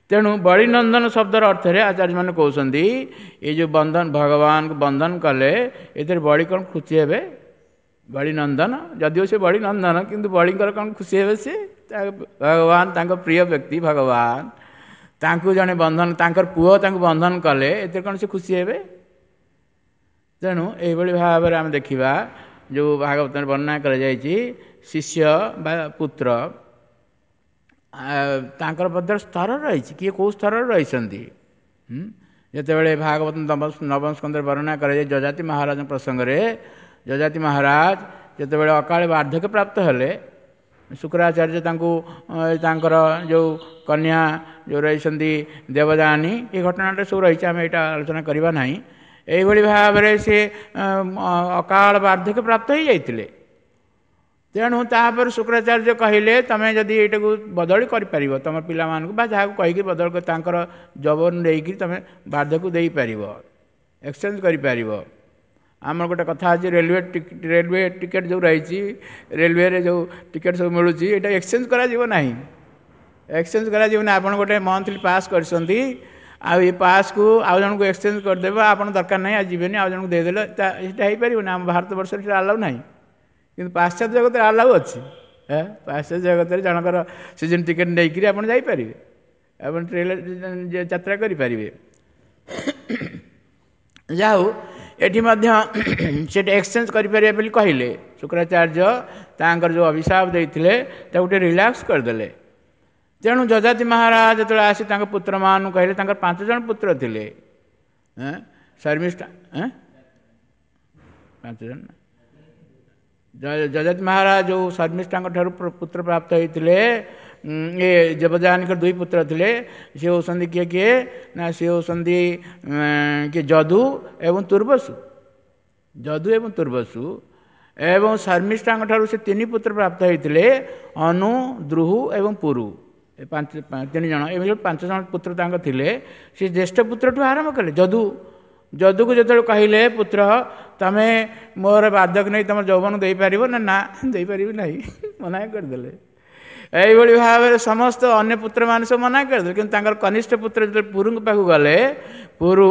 ତେଣୁ ବଳିନନ୍ଦନ ଶବ୍ଦର ଅର୍ଥରେ ଆଚାର୍ଯ୍ୟମାନେ କହୁଛନ୍ତି ଏ ଯେଉଁ ବନ୍ଧନ ଭଗବାନଙ୍କୁ ବନ୍ଧନ କଲେ ଏଥିରେ ବଳି କ'ଣ ଖୁସି ହେବେ? ବଳିନନ୍ଦନ ଯଦିଓ ସେ ବଳିନନ୍ଦନ, କିନ୍ତୁ ବଳିଙ୍କର କ'ଣ ଖୁସି ହେବେ ସେ? ଭଗବାନ ତାଙ୍କ ପ୍ରିୟ ବ୍ୟକ୍ତି ଭଗବାନ, ତାଙ୍କୁ ଜଣେ ବନ୍ଧନ, ତାଙ୍କର ପୁଅ ତାଙ୍କୁ ବନ୍ଧନ କଲେ ଏଥିରେ କ'ଣ ସେ ଖୁସି ହେବେ? ତେଣୁ ଏଇଭଳି ଭାବରେ ଆମେ ଦେଖିବା ଯେଉଁ ଭାଗବତରେ ବର୍ଣ୍ଣନା କରାଯାଇଛି ଶିଷ୍ୟ ବା ପୁତ୍ର ତାଙ୍କର ମଧ୍ୟ ସ୍ତର ରହିଛି, କିଏ କେଉଁ ସ୍ତରରେ ରହିଛନ୍ତି। ଯେତେବେଳେ ଭାଗବତ ନବମ ସ୍କନ୍ଧରେ ବର୍ଣ୍ଣନା କରାଯାଏ ଯଯାତି ମହାରାଜଙ୍କ ପ୍ରସଙ୍ଗରେ, ଯଯାତି ମହାରାଜ ଯେତେବେଳେ ଅକାଳେ ବାର୍ଦ୍ଧକ୍ୟ ପ୍ରାପ୍ତ ହେଲେ, ଶୁକ୍ରାଚାର୍ଯ୍ୟ ତାଙ୍କୁ ତାଙ୍କର ଯେଉଁ କନ୍ୟା ଯେଉଁ ରହିଛନ୍ତି ଦେବଯାନୀ, ଏ ଘଟଣାଟା ସବୁ ରହିଛି, ଆମେ ଏଇଟା ଆଲୋଚନା କରିବା ନାହିଁ। ଏଇଭଳି ଭାବରେ ସେ ଅକାଳ ବାର୍ଦ୍ଧକ୍ୟ ପ୍ରାପ୍ତ ହୋଇଯାଇଥିଲେ। ତେଣୁ ତାପରେ ଶୁକ୍ରାଚାର୍ଯ୍ୟ କହିଲେ ତୁମେ ଯଦି ଏଇଟାକୁ ବଦଳି କରିପାରିବ, ତୁମ ପିଲାମାନଙ୍କୁ ବା ଯାହାକୁ କହିକି ବଦଳି ତାଙ୍କର ଯୌବନ ନେଇକି ତୁମେ ବାର୍ଦ୍ଧକ୍ୟକୁ ଦେଇପାରିବ, ଏକ୍ସଚେଞ୍ଜ କରିପାରିବ। ଆମର ଗୋଟେ କଥା ଅଛି, ରେଲୱେ ଟିକେଟ୍ ଯେଉଁ ରହିଛି, ରେଲୱେରେ ଯେଉଁ ଟିକେଟ୍ ସବୁ ମିଳୁଛି, ଏଇଟା ଏକ୍ସଚେଞ୍ଜ କରାଯିବ ନାହିଁ, ଏକ୍ସଚେଞ୍ଜ କରାଯିବ ନାହିଁ। ଆପଣ ଗୋଟେ ମନ୍ଥଲି ପାସ୍ କରିଛନ୍ତି, ଆଉ ଏ ପାସ୍କୁ ଆଉ ଜଣଙ୍କୁ ଏକ୍ସଚେଞ୍ଜ କରିଦେବେ, ଆପଣ ଦରକାର ନାହିଁ ଆଉ ଯିବେନି, ଆଉ ଜଣଙ୍କୁ ଦେଇଦେଲେ ସେଇଟା ହେଇପାରିବନି। ଆମ ଭାରତବର୍ଷରେ ସେଇଟା ଆଲାଉ ନାହିଁ, କିନ୍ତୁ ପାଶ୍ଚାତ୍ୟ ଜଗତରେ ଆଲାଉ ଅଛି। ପାଶ୍ଚାତ୍ୟ ଜଗତରେ ଜଣଙ୍କର ସିଜନ୍ ଟିକେଟ୍ ନେଇକରି ଆପଣ ଯାଇପାରିବେ, ଆପଣ ଟ୍ରେନରେ ଯାତ୍ରା କରିପାରିବେ। ଯାହା ହଉ, ଏଠି ମଧ୍ୟ ସେଠି ଏକ୍ସଚେଞ୍ଜ କରିପାରିବେ ବୋଲି କହିଲେ। ଶୁକ୍ରାଚାର୍ଯ୍ୟ ତାଙ୍କର ଯେଉଁ ଅଭିଶାପ ଦେଇଥିଲେ ତାକୁ ଟିକେ ରିଲାକ୍ସ କରିଦେଲେ। ତେଣୁ ଯଯାତି ମହାରାଜ ଯେତେବେଳେ ଆସି ତାଙ୍କ ପୁତ୍ରମାନଙ୍କୁ କହିଲେ, ତାଙ୍କର 5 ଜଣ ପୁତ୍ର ଥିଲେ, ଶର୍ମିଷ୍ଠା 5 ଜଣ ଯଯାତି ମହାରାଜ ଯେଉଁ ଶର୍ମିଷ୍ଠାଙ୍କ ଠାରୁ ପୁତ୍ର ପ୍ରାପ୍ତ ହେଇଥିଲେ, ଏ ଦେବଯାନୀଙ୍କର 2 ପୁତ୍ର ଥିଲେ। ସେ ହେଉଛନ୍ତି କିଏ କିଏ ନା ସେ ହେଉଛନ୍ତି କିଏ ଯଦୁ ଏବଂ ତୁର୍ବସୁ। ଯଦୁ ଏବଂ ତୁର୍ବସୁ। ଏବଂ ଶର୍ମିଷ୍ଠାଙ୍କ ଠାରୁ ସେ 3 ପୁତ୍ର ପ୍ରାପ୍ତ ହେଇଥିଲେ, ଅନୁ, ଦ୍ରୁହୁ ଏବଂ ପୁରୁ। ଏ 5 3 ଜଣ, ଏମିତି 5 ଜଣ ପୁତ୍ର ତାଙ୍କ ଥିଲେ। ସେ ଜ୍ୟେଷ୍ଠ ପୁତ୍ରଠୁ ଆରମ୍ଭ କଲେ ଯଦୁ। ଯଦୁକୁ ଯେତେବେଳେ କହିଲେ, ପୁତ୍ର ତମେ ମୋର ବାର୍ଦ୍ଧକ୍ୟ ନେଇ ତମ ଯୌବନ ଦେଇପାରିବ ନା? ନା, ଦେଇପାରିବି ନାହିଁ, ମନା କରିଦେଲେ। ଏଇଭଳି ଭାବରେ ସମସ୍ତ ଅନ୍ୟ ପୁତ୍ରମାନେ ସବୁ ମନା କରିଦେଲେ। କିନ୍ତୁ ତାଙ୍କର କନିଷ୍ଠ ପୁତ୍ର ଯେତେବେଳେ ପୁରୁଙ୍କ ପାଖକୁ ଗଲେ, ପୁରୁ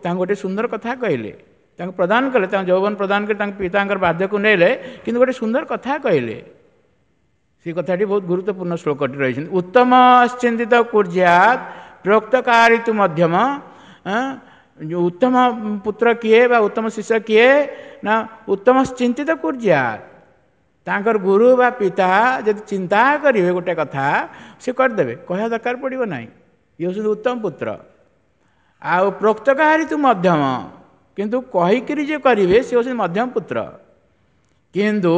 ତାଙ୍କୁ ଗୋଟେ ସୁନ୍ଦର କଥା କହିଲେ, ତାଙ୍କୁ ପ୍ରଦାନ କଲେ, ତାଙ୍କ ଯୌବନ ପ୍ରଦାନ କରି ତାଙ୍କ ପିତାଙ୍କର ବାର୍ଦ୍ଧକ୍ୟକୁ ନେଲେ, କିନ୍ତୁ ଗୋଟେ ସୁନ୍ଦର କଥା କହିଲେ। ସେ କଥାଟି ବହୁତ ଗୁରୁତ୍ୱପୂର୍ଣ୍ଣ ଶ୍ଲୋକଟି ରହିଛନ୍ତି। ଉତ୍ତମ ଚିନ୍ତିତ କୁର୍ଯ୍ୟାତ୍ ପ୍ରୋକ୍ତକାରିତୁ ମଧ୍ୟମ। ଉତ୍ତମ ପୁତ୍ର କିଏ ବା ଉତ୍ତମ ଶିଷ୍ୟ କିଏ ନା ଉତ୍ତମ ଚିନ୍ତିତ କୁର୍ଯ୍ୟାତ୍। ତାଙ୍କର ଗୁରୁ ବା ପିତା ଯଦି ଚିନ୍ତା କରିବେ ଗୋଟେ କଥା, ସେ କରିଦେବେ, କହିବା ଦରକାର ପଡ଼ିବ ନାହିଁ। ଇଏ ହେଉଛନ୍ତି ଉତ୍ତମ ପୁତ୍ର। ଆଉ ପ୍ରୋକ୍ତକାରିତୁ ମଧ୍ୟମ, କିନ୍ତୁ କହିକିରି ଯିଏ କରିବେ ସେ ହେଉଛନ୍ତି ମଧ୍ୟମ ପୁତ୍ର। କିନ୍ତୁ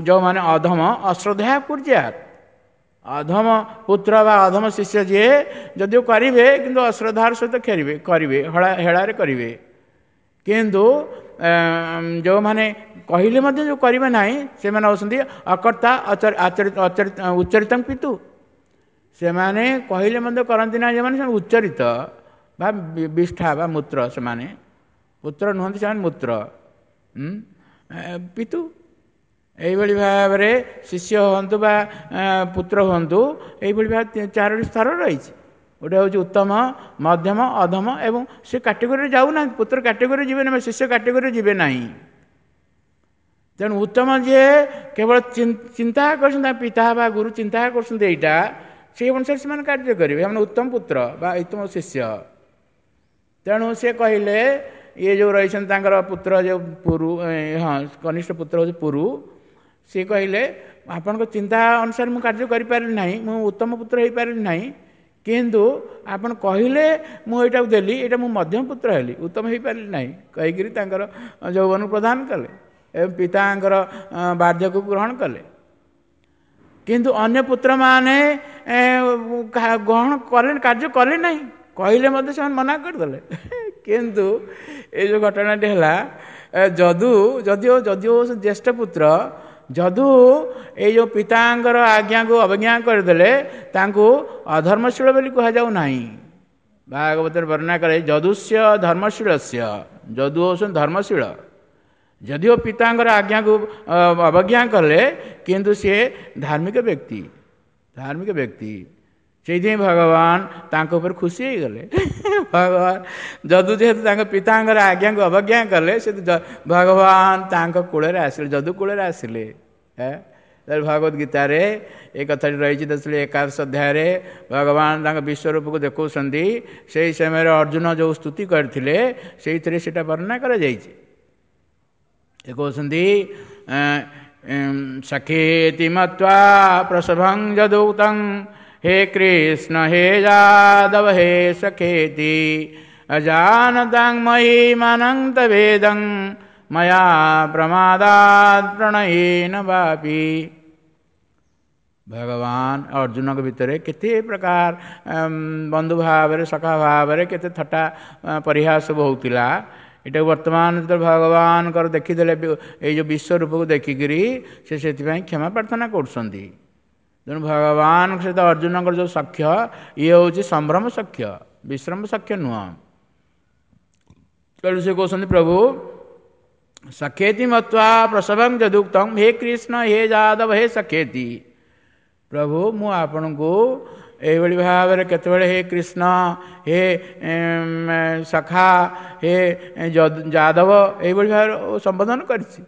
ଯେଉଁମାନେ ଅଧମ ଅଶ୍ରଦ୍ଧା କୁର୍ଯ୍ୟାତ୍, ଅଧମ ପୁତ୍ର ବା ଅଧମ ଶିଷ୍ୟ ଯିଏ ଯଦିଓ କରିବେ କିନ୍ତୁ ଅଶ୍ରଦ୍ଧାର ସହିତ ଖେଳିବେ, କରିବେ, ହେଳାରେ କରିବେ। କିନ୍ତୁ ଯେଉଁମାନେ କହିଲେ ମଧ୍ୟ ଯେଉଁ କରିବେ ନାହିଁ, ସେମାନେ ହେଉଛନ୍ତି ଅକର୍ତ୍ତା ଉଚ୍ଚରିତଂ ପିତୁ। ସେମାନେ କହିଲେ ମଧ୍ୟ କରନ୍ତି ନାହିଁ, ଯେଉଁମାନେ ସେମାନେ ଉଚ୍ଚରିତ ବା ବିଷ୍ଠା ବା ମୂତ୍ର, ସେମାନେ ପୁତ୍ର ନୁହନ୍ତି, ସେମାନେ ମୂତ୍ର ପିତୁ। ଏଇଭଳି ଭାବରେ ଶିଷ୍ୟ ହୁଅନ୍ତୁ ବା ପୁତ୍ର ହୁଅନ୍ତୁ, ଏଇଭଳି ଭାବେ 4ଟି ସ୍ତର ରହିଛି। ଗୋଟେ ହେଉଛି ଉତ୍ତମ, ମଧ୍ୟମ, ଅଧମ, ଏବଂ ସେ କାଟେଗୋରୀରେ ଯାଉନାହାନ୍ତି। ପୁତ୍ର କାଟେଗୋରୀରେ ଯିବେ ନାହିଁ, ଶିଷ୍ୟ କାଟେଗୋରୀରେ ଯିବେ ନାହିଁ। ତେଣୁ ଉତ୍ତମ ଯିଏ କେବଳ ଚିନ୍ତା କରୁଛନ୍ତି, ତାଙ୍କ ପିତା ବା ଗୁରୁ ଚିନ୍ତା କରୁଛନ୍ତି ଏଇଟା, ସେଇ ଅନୁସାରେ ସେମାନେ କାର୍ଯ୍ୟ କରିବେ, ସେମାନେ ଉତ୍ତମ ପୁତ୍ର ବା ଉତ୍ତମ ଶିଷ୍ୟ। ତେଣୁ ସେ କହିଲେ, ଇଏ ଯେଉଁ ରହିଛନ୍ତି ତାଙ୍କର ପୁତ୍ର ଯେଉଁ ପୁରୁ, ହଁ କନିଷ୍ଠ ପୁତ୍ର ହେଉଛି ପୁରୁ, ସିଏ କହିଲେ ଆପଣଙ୍କ ଚିନ୍ତା ଅନୁସାରେ ମୁଁ କାର୍ଯ୍ୟ କରିପାରିଲି ନାହିଁ, ମୁଁ ଉତ୍ତମ ପୁତ୍ର ହେଇପାରିଲି ନାହିଁ, କିନ୍ତୁ ଆପଣ କହିଲେ ମୁଁ ଏଇଟାକୁ ଦେଲି, ଏଇଟା ମୁଁ ମଧ୍ୟମ ପୁତ୍ର ହେଲି, ଉତ୍ତମ ହେଇପାରିଲି ନାହିଁ କହିକିରି ତାଙ୍କର ଯୌବନକୁ ପ୍ରଦାନ କଲେ ଏବଂ ପିତାଙ୍କର ବାର୍ଦ୍ଧକ୍ୟକୁ ଗ୍ରହଣ କଲେ। କିନ୍ତୁ ଅନ୍ୟ ପୁତ୍ରମାନେ ଗ୍ରହଣ କଲେ, କାର୍ଯ୍ୟ କଲେ ନାହିଁ, କହିଲେ ମଧ୍ୟ ସେମାନେ ମନା କରିଦେଲେ। କିନ୍ତୁ ଏଇ ଯେଉଁ ଘଟଣାଟି ହେଲା, ଯଦୁ ଯଦିଓ ଯଦିଓ ଜ୍ୟେଷ୍ଠ ପୁତ୍ର, ଯଦୁ ଏଇ ଯେଉଁ ପିତାଙ୍କର ଆଜ୍ଞାକୁ ଅବଜ୍ଞା କରିଦେଲେ, ତାଙ୍କୁ ଅଧର୍ମଶୀଳ ବୋଲି କୁହାଯାଉ ନାହିଁ। ଭାଗବତରେ ବର୍ଣ୍ଣନା କରେ ଯଦୁସ୍ୟ ଧର୍ମଶୀଳସ୍ୟ, ଯଦୁ ହେଉଛନ୍ତି ଧର୍ମଶୀଳ। ଯଦିଓ ପିତାଙ୍କର ଆଜ୍ଞାକୁ ଅବଜ୍ଞା କଲେ, କିନ୍ତୁ ସିଏ ଧାର୍ମିକ ବ୍ୟକ୍ତି, ଧାର୍ମିକ ବ୍ୟକ୍ତି। ସେଇଥିପାଇଁ ଭଗବାନ ତାଙ୍କ ଉପରେ ଖୁସି ହେଇଗଲେ। ଭଗବାନ ଯଦୁ ଯେହେତୁ ତାଙ୍କ ପିତାଙ୍କର ଆଜ୍ଞାକୁ ଅବଜ୍ଞା କଲେ, ସେ ଭଗବାନ ତାଙ୍କ କୂଳରେ ଆସିଲେ, ଯଦୁ କୂଳରେ ଆସିଲେ। ଭଗବତ ଗୀତାରେ ଏ କଥାଟି ରହିଛି। 11 ଅଧ୍ୟାୟରେ ଭଗବାନ ତାଙ୍କ ବିଶ୍ୱରୂପକୁ ଦେଖାଉଛନ୍ତି। ସେଇ ସମୟରେ ଅର୍ଜୁନ ଯେଉଁ ସ୍ତୁତି କରିଥିଲେ, ସେଇଥିରେ ସେଇଟା ବର୍ଣ୍ଣନା କରାଯାଇଛି। ସେ କହୁଛନ୍ତି, ସଖେତି ମତ୍ୱା ପ୍ରସଭଂ ଯଦୁକ୍ତଂ ହେ କୃଷ୍ଣ ହେ ଯାଦବ ହେ ସଖେତି ଅଜାନତାଂ ମହିମାନଂ ତବେଦଂ ମୟା ପ୍ରମାଦାତ୍ ପ୍ରଣୟେନ ବାପି। ଭଗବାନ ଅର୍ଜୁନଙ୍କ ଭିତରେ କେତେ ପ୍ରକାର ବନ୍ଧୁ ଭାବରେ, ସଖା ଭାବରେ କେତେ ଥଟ୍ଟା ପରିହାସ ସବୁ ହେଉଥିଲା। ଏଇଟାକୁ ବର୍ତ୍ତମାନ ଯେତେବେଳେ ଭଗବାନଙ୍କର ଦେଖିଦେଲେ ଏଇ ଯେଉଁ ବିଶ୍ୱରୂପକୁ ଦେଖିକିରି ସେ ସେଥିପାଇଁ କ୍ଷମା ପ୍ରାର୍ଥନା କରୁଛନ୍ତି। ତେଣୁ ଭଗବାନଙ୍କ ସହିତ ଅର୍ଜୁନଙ୍କର ଯେଉଁ ସଖ୍ୟ, ଇଏ ହେଉଛି ସମ୍ଭ୍ରମ ସଖ୍ୟ, ବିଶ୍ରମ ସଖ୍ୟ ନୁହଁ। ତେଣୁ ସେ କହୁଛନ୍ତି, ପ୍ରଭୁ ସଖେତି ମତ୍ୱା ପ୍ରସବଂ ଯଦୁକ୍ତଂ ହେ କୃଷ୍ଣ ହେ ଯାଦବ ହେ ସଖେତି। ପ୍ରଭୁ ମୁଁ ଆପଣଙ୍କୁ ଏଇଭଳି ଭାବରେ କେତେବେଳେ ହେ କୃଷ୍ଣ ହେ ସଖା ହେ ଯାଦବ ଏଇଭଳି ଭାବରେ ସମ୍ବୋଧନ କରିଛି।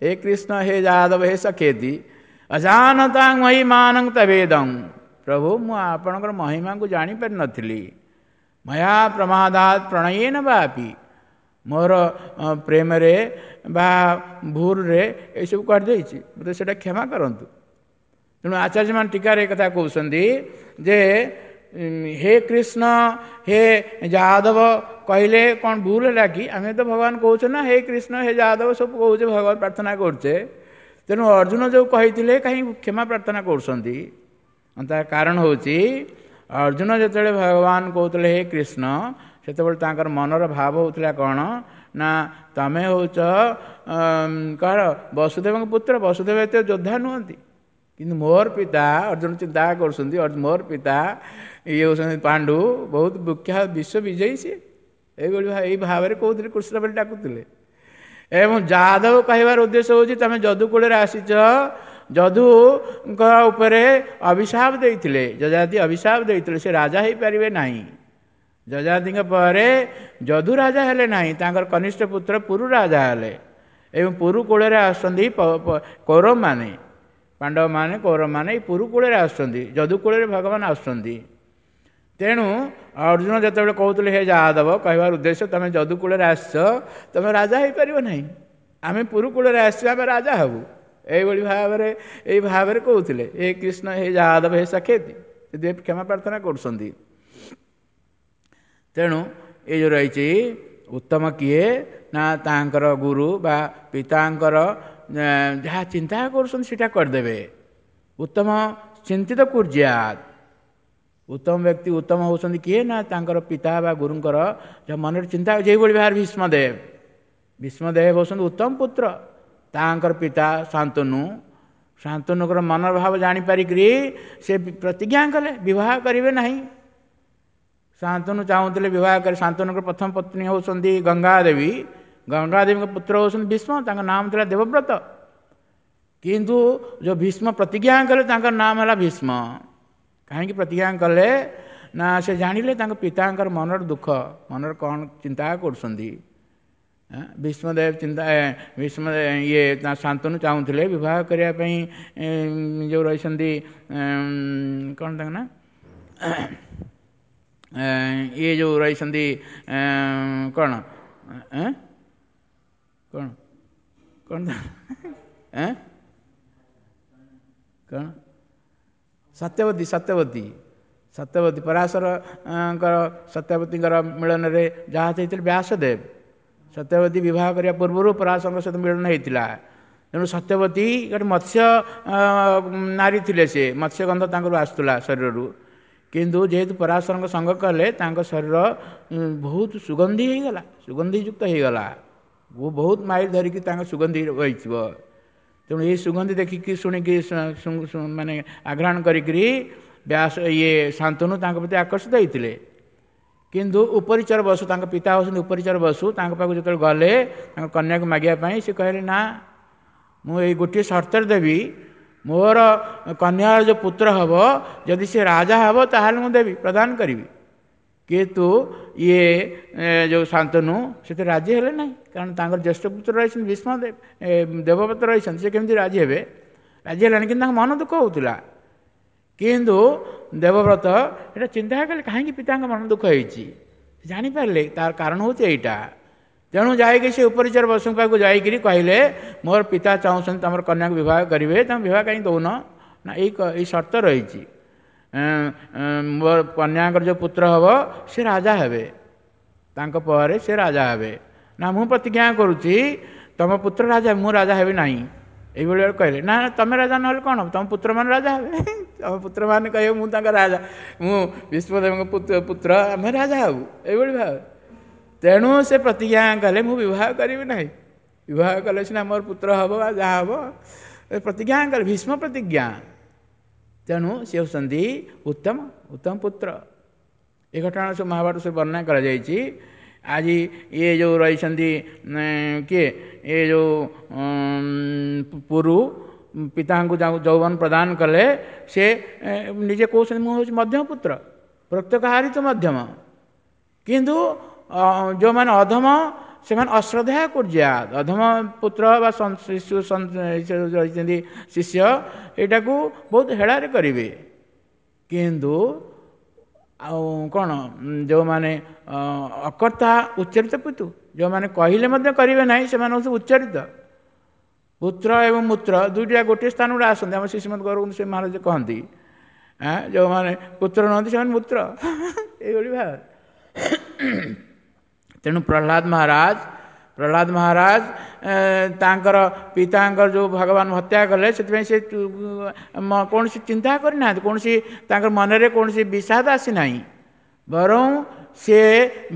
ହେ କୃଷ୍ଣ ହେ ଯାଦବ ହେ ସଖେତି ଅଜାନତାଂ ମହିମାନଂ ତବେଦଂ। ପ୍ରଭୁ ମୁଁ ଆପଣଙ୍କର ମହିମାଙ୍କୁ ଜାଣିପାରିନଥିଲି। ମୟା ପ୍ରମାଦାତ ପ୍ରଣୟେନ ବାପି, ମୋର ପ୍ରେମରେ ବା ଭୁଲରେ ଏସବୁ କରିଦେଇଛି, ମୋତେ ସେଇଟା କ୍ଷମା କରନ୍ତୁ। ତେଣୁ ଆଚାର୍ଯ୍ୟମାନେ ଟୀକାରେ ଏ କଥା କହୁଛନ୍ତି ଯେ ହେ କୃଷ୍ଣ ହେ ଯାଦବ କହିଲେ କ'ଣ ଭୁଲ ହେଲା କି? ଆମେ ତ ଭଗବାନ କହୁଛେ ନା, ହେ କୃଷ୍ଣ ହେ ଯାଦବ ସବୁ କହୁଛେ, ଭଗବାନ ପ୍ରାର୍ଥନା କରୁଛେ। ତେଣୁ ଅର୍ଜୁନ ଯେଉଁ କହିଥିଲେ କାହିଁ କ୍ଷମା ପ୍ରାର୍ଥନା କରୁଛନ୍ତି? ତାର କାରଣ ହେଉଛି ଅର୍ଜୁନ ଯେତେବେଳେ ଭଗବାନ କହୁଥିଲେ ହେ କୃଷ୍ଣ, ସେତେବେଳେ ତାଙ୍କର ମନର ଭାବ ହେଉଥିଲା କ'ଣ ନା ତମେ ହେଉଛ କାହାର ବସୁଦେବଙ୍କ ପୁତ୍ର, ବସୁଦେବ ଏତେ ଯୋଦ୍ଧା ନୁହନ୍ତି, କିନ୍ତୁ ମୋର ପିତା, ଅର୍ଜୁନ ଚିନ୍ତା କରୁଛନ୍ତି ମୋର ପିତା ଇଏ ହେଉଛନ୍ତି ପାଣ୍ଡୁ, ବହୁତ ବିଖ୍ୟାତ ବିଶ୍ୱ ବିଜୟୀ ସିଏ, ଏଇଭଳି ଏଇ ଭାବରେ କହୁଥିଲେ, କୃଷ୍ଣ ବୋଲି ଡାକୁଥିଲେ। ଏବଂ ଯାଦବ କହିବାର ଉଦ୍ଦେଶ୍ୟ ହେଉଛି ତମେ ଯଦୁକୂଳରେ ଆସିଛ, ଯଦୁଙ୍କ ଉପରେ ଅଭିଶାପ ଦେଇଥିଲେ, ଯଯାତି ଅଭିଶାପ ଦେଇଥିଲେ, ସେ ରାଜା ହେଇପାରିବେ ନାହିଁ। ଯଯାତିଙ୍କ ପରେ ଯଦୁ ରାଜା ହେଲେ ନାହିଁ, ତାଙ୍କର କନିଷ୍ଠ ପୁତ୍ର ପୁରୁ ରାଜା ହେଲେ। ଏବଂ ପୁରୁ କୂଳରେ ଆସୁଛନ୍ତି କୌରବମାନେ, ପାଣ୍ଡବମାନେ କୌରବମାନେ ଏଇ ପୁରୁ କୂଳରେ ଆସୁଛନ୍ତି, ଯଦୁ କୂଳରେ ଭଗବାନ ଆସୁଛନ୍ତି। ତେଣୁ ଅର୍ଜୁନ ଯେତେବେଳେ କହୁଥିଲେ ହେ ଯାଦବ, କହିବାର ଉଦ୍ଦେଶ୍ୟ ତମେ ଯଦୁ କୂଳରେ ଆସିଛ, ତମେ ରାଜା ହେଇପାରିବ ନାହିଁ, ଆମେ ପୁରୁ କୂଳରେ ଆସିଛୁ, ଆମେ ରାଜା ହେବୁ, ଏଇଭଳି ଭାବରେ ଏଇ ଭାବରେ କହୁଥିଲେ ହେ କୃଷ୍ଣ ହେ ଯାଦବ ହେ ସଖେତି, ସେଥିପାଇଁ କ୍ଷମା ପ୍ରାର୍ଥନା କରୁଛନ୍ତି। ତେଣୁ ଏ ଯେଉଁ ରହିଛି ଉତ୍ତମ କିଏ ନା ତାଙ୍କର ଗୁରୁ ବା ପିତାଙ୍କର ଯାହା ଚିନ୍ତା କରୁଛନ୍ତି ସେଇଟା କରିଦେବେ। ଉତ୍ତମ ଚିନ୍ତିତ କୁର୍ଯ୍ୟାତ୍, ଉତ୍ତମ ବ୍ୟକ୍ତି ଉତ୍ତମ ହେଉଛନ୍ତି କିଏ ନା ତାଙ୍କର ପିତା ବା ଗୁରୁଙ୍କର ଯାହା ମନରେ ଚିନ୍ତା। ଯେଉଁଭଳି ଭାବରେ ଭୀଷ୍ମଦେବ, ଭୀଷ୍ମଦେବ ହେଉଛନ୍ତି ଉତ୍ତମ ପୁତ୍ର, ତାଙ୍କର ପିତା ଶାନ୍ତନୁ, ଶାନ୍ତନୁଙ୍କର ମନର ଭାବ ଜାଣିପାରିକିରି ସେ ପ୍ରତିଜ୍ଞା କଲେ ବିବାହ କରିବେ ନାହିଁ। ଶାନ୍ତନୁ ଚାହୁଁଥିଲେ ବିବାହ କରି, ଶାନ୍ତନୁଙ୍କର ପ୍ରଥମ ପତ୍ନୀ ହେଉଛନ୍ତି ଗଙ୍ଗାଦେବୀ, ଗଙ୍ଗାଦେବୀଙ୍କ ପୁତ୍ର ହେଉଛନ୍ତି ଭୀଷ୍ମ, ତାଙ୍କ ନାମ ଥିଲା ଦେବବ୍ରତ। କିନ୍ତୁ ଯେଉଁ ଭୀଷ୍ମ ପ୍ରତିଜ୍ଞା କଲେ ତାଙ୍କର ନାମ ହେଲା ଭୀଷ୍ମ। କାହିଁକି ପ୍ରତିଜ୍ଞା କଲେ ନା ସେ ଜାଣିଲେ ତାଙ୍କ ପିତାଙ୍କର ମନର ଦୁଃଖ, ମନର କ'ଣ ଚିନ୍ତା କରୁଛନ୍ତି। ଭୀଷ୍ମଦେବ ଚିନ୍ତା, ଭୀଷ୍ମ ଇଏ ଶାନ୍ତନୁ ଚାହୁଁଥିଲେ ବିବାହ କରିବା ପାଇଁ, ଯେଉଁ ରହିଛନ୍ତି କ'ଣ ତାଙ୍କ ନା ଇଏ ଯେଉଁ ରହିଛନ୍ତି କ'ଣ କ'ଣ କ'ଣ କ'ଣ ସତ୍ୟବତୀ, ସତ୍ୟବତୀ, ସତ୍ୟବତୀ ପରାଶରଙ୍କର ସତ୍ୟବତୀଙ୍କର ମିଳନରେ ଯାହା ହେଇଥିଲେ ବ୍ୟାସଦେବ, ସତ୍ୟବତୀ ବିବାହ କରିବା ପୂର୍ବରୁ ପରାଶରଙ୍କ ସହିତ ମିଳନ ହେଇଥିଲା। ତେଣୁ ସତ୍ୟବତୀ ଗୋଟେ ମତ୍ସ୍ୟ ନାରୀ ଥିଲେ, ସେ ମତ୍ସ୍ୟଗନ୍ଧ ତାଙ୍କର ଆସୁଥିଲା ଶରୀରରୁ, କିନ୍ତୁ ଯେହେତୁ ପରାଶରଙ୍କ ସଙ୍ଗ କଲେ ତାଙ୍କ ଶରୀର ବହୁତ ସୁଗନ୍ଧି ହେଇଗଲା, ସୁଗନ୍ଧିଯୁକ୍ତ ହେଇଗଲା, ବହୁତ ମାଇଲ ଧରିକି ତାଙ୍କ ସୁଗନ୍ଧି ରହିଥିବ। ତେଣୁ ଏଇ ସୁଗନ୍ଧି ଦେଖିକି ଶୁଣିକି ମାନେ ଆଘ୍ରାଣ କରିକିରି ବ୍ୟାସ ଇଏ ଶାନ୍ତନୁ ତାଙ୍କ ପ୍ରତି ଆକର୍ଷିତ ହେଇଥିଲେ। କିନ୍ତୁ ଉପରିଚର ବସୁ, ତାଙ୍କ ପିତା ହେଉଛନ୍ତି ଉପରିଚର ବସୁ, ତାଙ୍କ ପାଖକୁ ଯେତେବେଳେ ଗଲେ ତାଙ୍କ କନ୍ୟାକୁ ମାଗିବା ପାଇଁ, ସେ କହିଲେ ନା ମୁଁ ଏଇ ଗୋଟିଏ ସର୍ତ୍ତରେ ଦେବି, ମୋର କନ୍ୟାର ଯେଉଁ ପୁତ୍ର ହେବ ଯଦି ସେ ରାଜା ହେବ ତାହେଲେ ମୁଁ ଦେବି, ପ୍ରଦାନ କରିବି। କିନ୍ତୁ ଇଏ ଯେଉଁ ଶାନ୍ତନୁ ସେଥିରେ ରାଜି ହେଲେ ନାହିଁ, କାରଣ ତାଙ୍କର ଜ୍ୟେଷ୍ଠ ପୁତ୍ର ରହିଛନ୍ତି ଭୀଷ୍ମଦେବ, ଦେବବ୍ରତ ରହିଛନ୍ତି, ସେ କେମିତି ରାଜି ହେବେ? ରାଜି ହେଲାନି, କିନ୍ତୁ ତାଙ୍କ ମନ ଦୁଃଖ ହେଉଥିଲା। କିନ୍ତୁ ଦେବବ୍ରତ ଏଇଟା ଚିନ୍ତା କଲେ କାହିଁକି ପିତାଙ୍କ ମନ ଦୁଃଖ ହେଇଛି, ଜାଣିପାରିଲେ ତାର କାରଣ ହେଉଛି ଏଇଟା। ତେଣୁ ଯାଇକି ସେ ଉପରିଚର ବସୁଙ୍କ ପାଖକୁ ଯାଇକିରି କହିଲେ ମୋର ପିତା ଚାହୁଁଛନ୍ତି ତୁମର କନ୍ୟାକୁ ବିବାହ କରିବେ, ତମେ ବିବାହ କାହିଁକି ଦେଉନ? ନା ଏଇ ସର୍ତ୍ତ ରହିଛି, ମୋର କନ୍ୟାଙ୍କର ଯେଉଁ ପୁତ୍ର ହେବ ସେ ରାଜା ହେବେ, ତାଙ୍କ ପରେ ସେ ରାଜା ହେବେ। ନା ମୁଁ ପ୍ରତିଜ୍ଞା କରୁଛି ତୁମ ପୁତ୍ର ରାଜା, ମୁଁ ରାଜା ହେବି ନାହିଁ, ଏଇଭଳି କହିଲେ। ନା ତମେ ରାଜା ନହେଲେ କ'ଣ ହେବ, ତୁମ ପୁତ୍ରମାନେ ରାଜା ହେବେ, ତୁମ ପୁତ୍ରମାନେ କହିବେ ମୁଁ ତାଙ୍କ ରାଜା, ମୁଁ ଭୀଷ୍ମଦେବଙ୍କ ପୁତ୍ର, ଆମେ ରାଜା ହେବୁ, ଏଇଭଳି ଭାବେ। ତେଣୁ ସେ ପ୍ରତିଜ୍ଞା କଲେ ମୁଁ ବିବାହ କରିବି ନାହିଁ, ବିବାହ କଲେ ସିନା ମୋର ପୁତ୍ର ହେବ ବା ଯାହା ହେବ, ପ୍ରତିଜ୍ଞା କଲେ, ଭୀଷ୍ମ ପ୍ରତିଜ୍ଞା। ତେଣୁ ସେ ହେଉଛନ୍ତି ଉତ୍ତମ ଉତ୍ତମ ପୁତ୍ର। ଏ ଘଟଣା ସବୁ ମହାଭାରତ ସବୁ ବର୍ଣ୍ଣନା କରାଯାଇଛି। ଆଜି ଇଏ ଯେଉଁ ରହିଛନ୍ତି କିଏ, ଏ ଯେଉଁ ପୁରୁ ପିତାଙ୍କୁ ଯୌବନ ପ୍ରଦାନ କଲେ, ସେ ନିଜେ କହୁଛନ୍ତି ମୁଁ ହେଉଛି ମଧ୍ୟମ ପୁତ୍ର, ପ୍ରତ୍ୟେକ ହାରିତ ମଧ୍ୟମ। କିନ୍ତୁ ଯେଉଁମାନେ ଅଧମ ସେମାନେ ଅଶ୍ରଦ୍ଧା କୁର୍ଯ୍ୟାତ୍, ଅଧମ ପୁତ୍ର ବା ଶିଶୁ ରହିଛନ୍ତି ଶିଷ୍ୟ, ଏଇଟାକୁ ବହୁତ ହେଳାରେ କରିବେ। କିନ୍ତୁ ଆଉ କ'ଣ ଯେଉଁମାନେ ଅକର୍ତ୍ତା ଉଚ୍ଚରିତ ପିତୁ, ଯେଉଁମାନେ କହିଲେ ମଧ୍ୟ କରିବେ ନାହିଁ, ସେମାନେ ହେଉଛନ୍ତି ଉଚ୍ଚରିତ ପୁତ୍ର ଏବଂ ମୂତ୍ର ଦୁଇଟା ଗୋଟିଏ ସ୍ଥାନକୁ ଆସନ୍ତି। ଆମ ଶ୍ରୀମଦ୍ ଗୌରବନ୍ଧୁ ସେ ମହାରାଜ କହନ୍ତି ଯେଉଁମାନେ ପୁତ୍ର ନୁହନ୍ତି ସେମାନେ ମୂତ୍ର, ଏଇଭଳି ଭାବରେ। ତେଣୁ ପ୍ରହ୍ଲାଦ ମହାରାଜ ତାଙ୍କର ପିତାଙ୍କର ଯେଉଁ ଭଗବାନ ହତ୍ୟା କଲେ, ସେଥିପାଇଁ ସେ କୌଣସି ଚିନ୍ତା କରିନାହାନ୍ତି, କୌଣସି ତାଙ୍କର ମନରେ କୌଣସି ବିଷାଦ ଆସିନାହିଁ, ବରଂ ସେ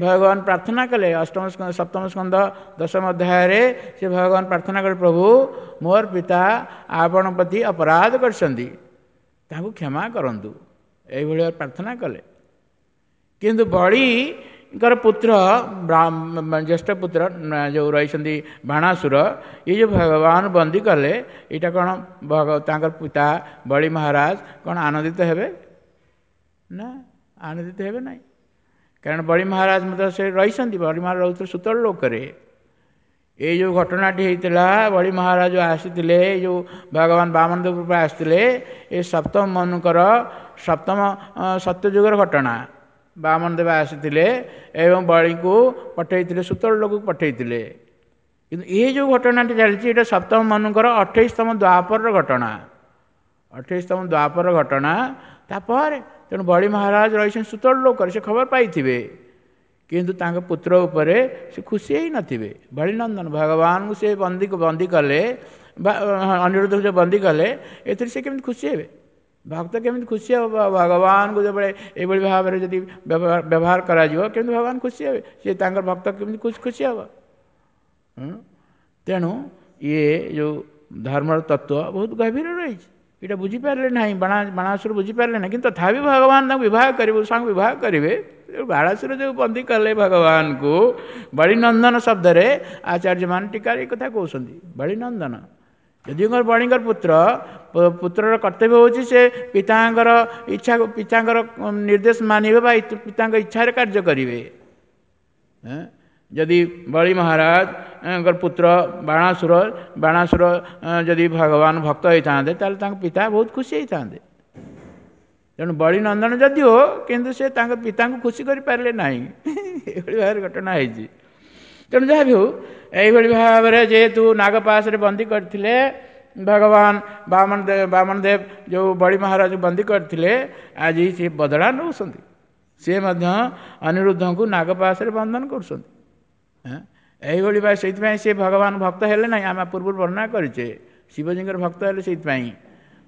ଭଗବାନ ପ୍ରାର୍ଥନା କଲେ। ଅଷ୍ଟମ ସପ୍ତମ ସ୍କନ୍ଧ ଦଶମ ଅଧ୍ୟାୟରେ ସେ ଭଗବାନ ପ୍ରାର୍ଥନା କଲେ, ପ୍ରଭୁ ମୋର ପିତା ଆପଣ ପ୍ରତି ଅପରାଧ କରିଛନ୍ତି, ତାଙ୍କୁ କ୍ଷମା କରନ୍ତୁ, ଏଇଭଳି ପ୍ରାର୍ଥନା କଲେ। କିନ୍ତୁ ବଳିଙ୍କର ପୁତ୍ର, ଜ୍ୟେଷ୍ଠ ପୁତ୍ର ଯେଉଁ ରହିଛନ୍ତି ବାଣାସୁର, ଏ ଯେଉଁ ଭଗବାନ ବନ୍ଦୀ କଲେ, ଏଇଟା କ'ଣ ତାଙ୍କର ପିତା ବଳି ମହାରାଜ କ'ଣ ଆନନ୍ଦିତ ହେବେ? ନା, ଆନନ୍ଦିତ ହେବେ ନାହିଁ। କାରଣ ବଳି ମହାରାଜ ମଧ୍ୟ ସେ ରହିଛନ୍ତି, ବଳି ମହାରାଜ ରହୁଥିଲେ ସୁତଳ ଲୋକରେ। ଏଇ ଯେଉଁ ଘଟଣାଟି ହେଇଥିଲା, ବଳି ମହାରାଜ ଆସିଥିଲେ, ଏଇ ଯେଉଁ ଭଗବାନ ବାମନ ଦେବ ରୂପେ ଆସିଥିଲେ, ଏ ସପ୍ତମ ମନୁଙ୍କର ସପ୍ତମ ସତ୍ୟଯୁଗର ଘଟଣା। ବାମନ ଦେବ ଆସିଥିଲେ ଏବଂ ବଳିଙ୍କୁ ପଠେଇଥିଲେ, ସୁତଳ ଲୋକକୁ ପଠେଇଥିଲେ। କିନ୍ତୁ ଏଇ ଯେଉଁ ଘଟଣାଟି ଚାଲିଛି, ଏଇଟା ସପ୍ତମ ମନୁଙ୍କର 28ତମ ଦ୍ୱାପରର ଘଟଣା, 28ତମ ଦ୍ୱାପର ଘଟଣା। ତାପରେ ତେଣୁ ବଳି ମହାରାଜ ରହିଛନ୍ତି ସୁତଳ ଲୋକରେ, ସେ ଖବର ପାଇଥିବେ, କିନ୍ତୁ ତାଙ୍କ ପୁତ୍ର ଉପରେ ସେ ଖୁସି ହେଇନଥିବେ। ବଳିନନ୍ଦନ ଭଗବାନଙ୍କୁ ସେ ବନ୍ଦୀ କଲେ, ଅନିରୁଦ୍ଧକୁ ଯେଉଁ ବନ୍ଦୀ କଲେ, ଏଥିରେ ସେ କେମିତି ଖୁସି ହେବେ? ଭକ୍ତ କେମିତି ଖୁସି ହେବ? ଭଗବାନଙ୍କୁ ଯେବେଳେ ଏଇଭଳି ଭାବରେ ଯଦି ବ୍ୟବହାର କରାଯିବ, କେମିତି ଭଗବାନ ଖୁସି ହେବେ? ସେ ତାଙ୍କର ଭକ୍ତ କେମିତି ଖୁସି ହେବ? ତେଣୁ ଇଏ ଯେଉଁ ଧର୍ମର ତତ୍ତ୍ୱ ବହୁତ ଗଭୀର ରହିଛି, ଏଇଟା ବୁଝିପାରିଲେ ନାହିଁ, ବାଣାସୁର ବୁଝିପାରିଲେ ନାହିଁ। କିନ୍ତୁ ତଥାପି ଭଗବାନ ତାଙ୍କୁ ବିବାହ କରିବେ, ସାଙ୍ଗ ବିବାହ କରିବେ। ବାଣାସୁର ଯେଉଁ ବନ୍ଦୀ କଲେ ଭଗବାନଙ୍କୁ, ବଳିନନ୍ଦନ ଶବ୍ଦରେ ଆଚାର୍ଯ୍ୟମାନେ ଟୀକାରେ ଏ କଥା କହୁଛନ୍ତି। ବଳିନନ୍ଦନ ଯଦି ବଳିଙ୍କର ପୁତ୍ର, ପୁତ୍ରର କର୍ତ୍ତବ୍ୟ ହେଉଛି ସେ ପିତାଙ୍କର ଇଚ୍ଛା, ପିତାଙ୍କର ନିର୍ଦ୍ଦେଶ ମାନିବେ ବା ପିତାଙ୍କ ଇଚ୍ଛାରେ କାର୍ଯ୍ୟ କରିବେ। ଯଦି ବଳି ମହାରାଜଙ୍କର ପୁତ୍ର ବାଣାସୁର ଯଦି ଭଗବାନ ଭକ୍ତ ହେଇଥାନ୍ତେ, ତାହେଲେ ତାଙ୍କ ପିତା ବହୁତ ଖୁସି ହେଇଥାନ୍ତେ। ତେଣୁ ବଳି ନନ୍ଦନ ଯଦିଓ, କିନ୍ତୁ ସେ ତାଙ୍କ ପିତାଙ୍କୁ ଖୁସି କରିପାରିଲେ ନାହିଁ। ଏଭଳି ଭାବରେ ଘଟଣା ହେଇଛି। ତେଣୁ ଯାହା ବି ହଉ, ଏଇଭଳି ଭାବରେ ଯେହେତୁ ନାଗପାଶରେ ବନ୍ଦୀ କରିଥିଲେ ଭଗବାନ ବାମନ ଦେବ, ଯେଉଁ ବଳି ମହାରାଜକୁ ବନ୍ଦୀ କରିଥିଲେ, ଆଜି ସେ ବଦଳା ନେଉଛନ୍ତି। ସେ ମଧ୍ୟ ଅନିରୁଦ୍ଧଙ୍କୁ ନାଗପାଶରେ ବନ୍ଧନ କରୁଛନ୍ତି। ଏଇଭଳି ଭାବେ ସେଇଥିପାଇଁ ସେ ଭଗବାନ ଭକ୍ତ ହେଲେ ନାହିଁ। ଆମେ ପୂର୍ବରୁ ବର୍ଣ୍ଣନା କରିଛେ, ଶିବଜୀଙ୍କର ଭକ୍ତ ହେଲେ। ସେଇଥିପାଇଁ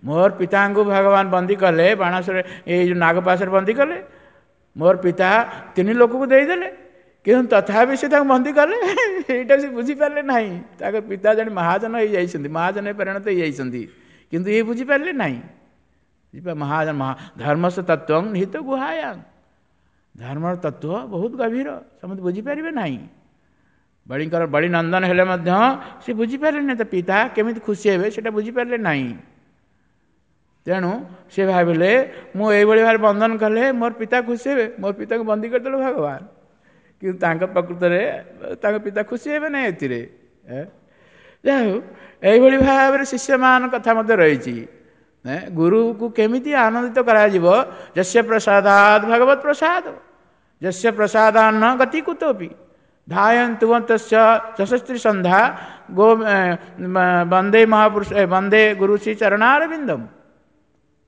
ମୋର ପିତାଙ୍କୁ ଭଗବାନ ବନ୍ଦୀ କଲେ, ବାଣାସରେ ଏଇ ଯେଉଁ ନାଗପାଶରେ ବନ୍ଦୀ କଲେ, ମୋର ପିତା 3 ଲୋକକୁ ଦେଇଦେଲେ, କିନ୍ତୁ ତଥାପି ସେ ତାଙ୍କୁ ବନ୍ଦୀ କଲେ, ଏଇଟା ସେ ବୁଝିପାରିଲେ ନାହିଁ। ତାଙ୍କ ପିତା ଜଣେ ମହାଜନ ହେଇଯାଇଛନ୍ତି, ମହାଜନ ପରିଣତ ହେଇଯାଇଛନ୍ତି, କିନ୍ତୁ ଇଏ ବୁଝିପାରିଲେ ନାହିଁ। ମହାଜନ ଧର୍ମସ ତତ୍ତ୍ୱ ନିହିତ ଗୁହାୟାଂ, ଧର୍ମର ତତ୍ତ୍ୱ ବହୁତ ଗଭୀର, ସମସ୍ତେ ବୁଝିପାରିବେ ନାହିଁ। ବଳିଙ୍କର ବଳି ନନ୍ଦନ ହେଲେ ମଧ୍ୟ ସେ ବୁଝିପାରିଲେ ନାହିଁ, ତା ପିତା କେମିତି ଖୁସି ହେବେ ସେଇଟା ବୁଝିପାରିଲେ ନାହିଁ। ତେଣୁ ସେ ଭାବିଲେ, ମୁଁ ଏଇଭଳି ଭାବରେ ବନ୍ଧନ କଲେ ମୋର ପିତା ଖୁସି ହେବେ, ମୋର ପିତାକୁ ବନ୍ଦୀ କରିଦେଲେ ଭଗବାନ, କିନ୍ତୁ ତାଙ୍କ ପ୍ରକୃତରେ ତାଙ୍କ ପିତା ଖୁସି ହେବେ ନାହିଁ ଏଥିରେ। ଯାହା ହଉ, ଏଇଭଳି ଭାବରେ ଶିଷ୍ୟମାନଙ୍କ କଥା ମଧ୍ୟ ରହିଛି। ଗୁରୁକୁ କେମିତି ଆନନ୍ଦିତ କରାଯିବ? ଯସ୍ୟ ପ୍ରସାଦାଦ ଭଗବତ ପ୍ରସାଦ, ଯସ୍ୟ ପ୍ରସାଦାନ୍ନ ଗତି କୁତୋପି ଧାୟନ୍ତୁବନ୍ତସ୍ୟ ଯଶସ୍ତ୍ରୀ ସନ୍ଧ୍ୟା ଗୋ ବନ୍ଦେ ମହାପୁରୁଷ ବନ୍ଦେ ଗୁରୁ ଶ୍ରୀ ଚରଣାରବିନ୍ଦମ।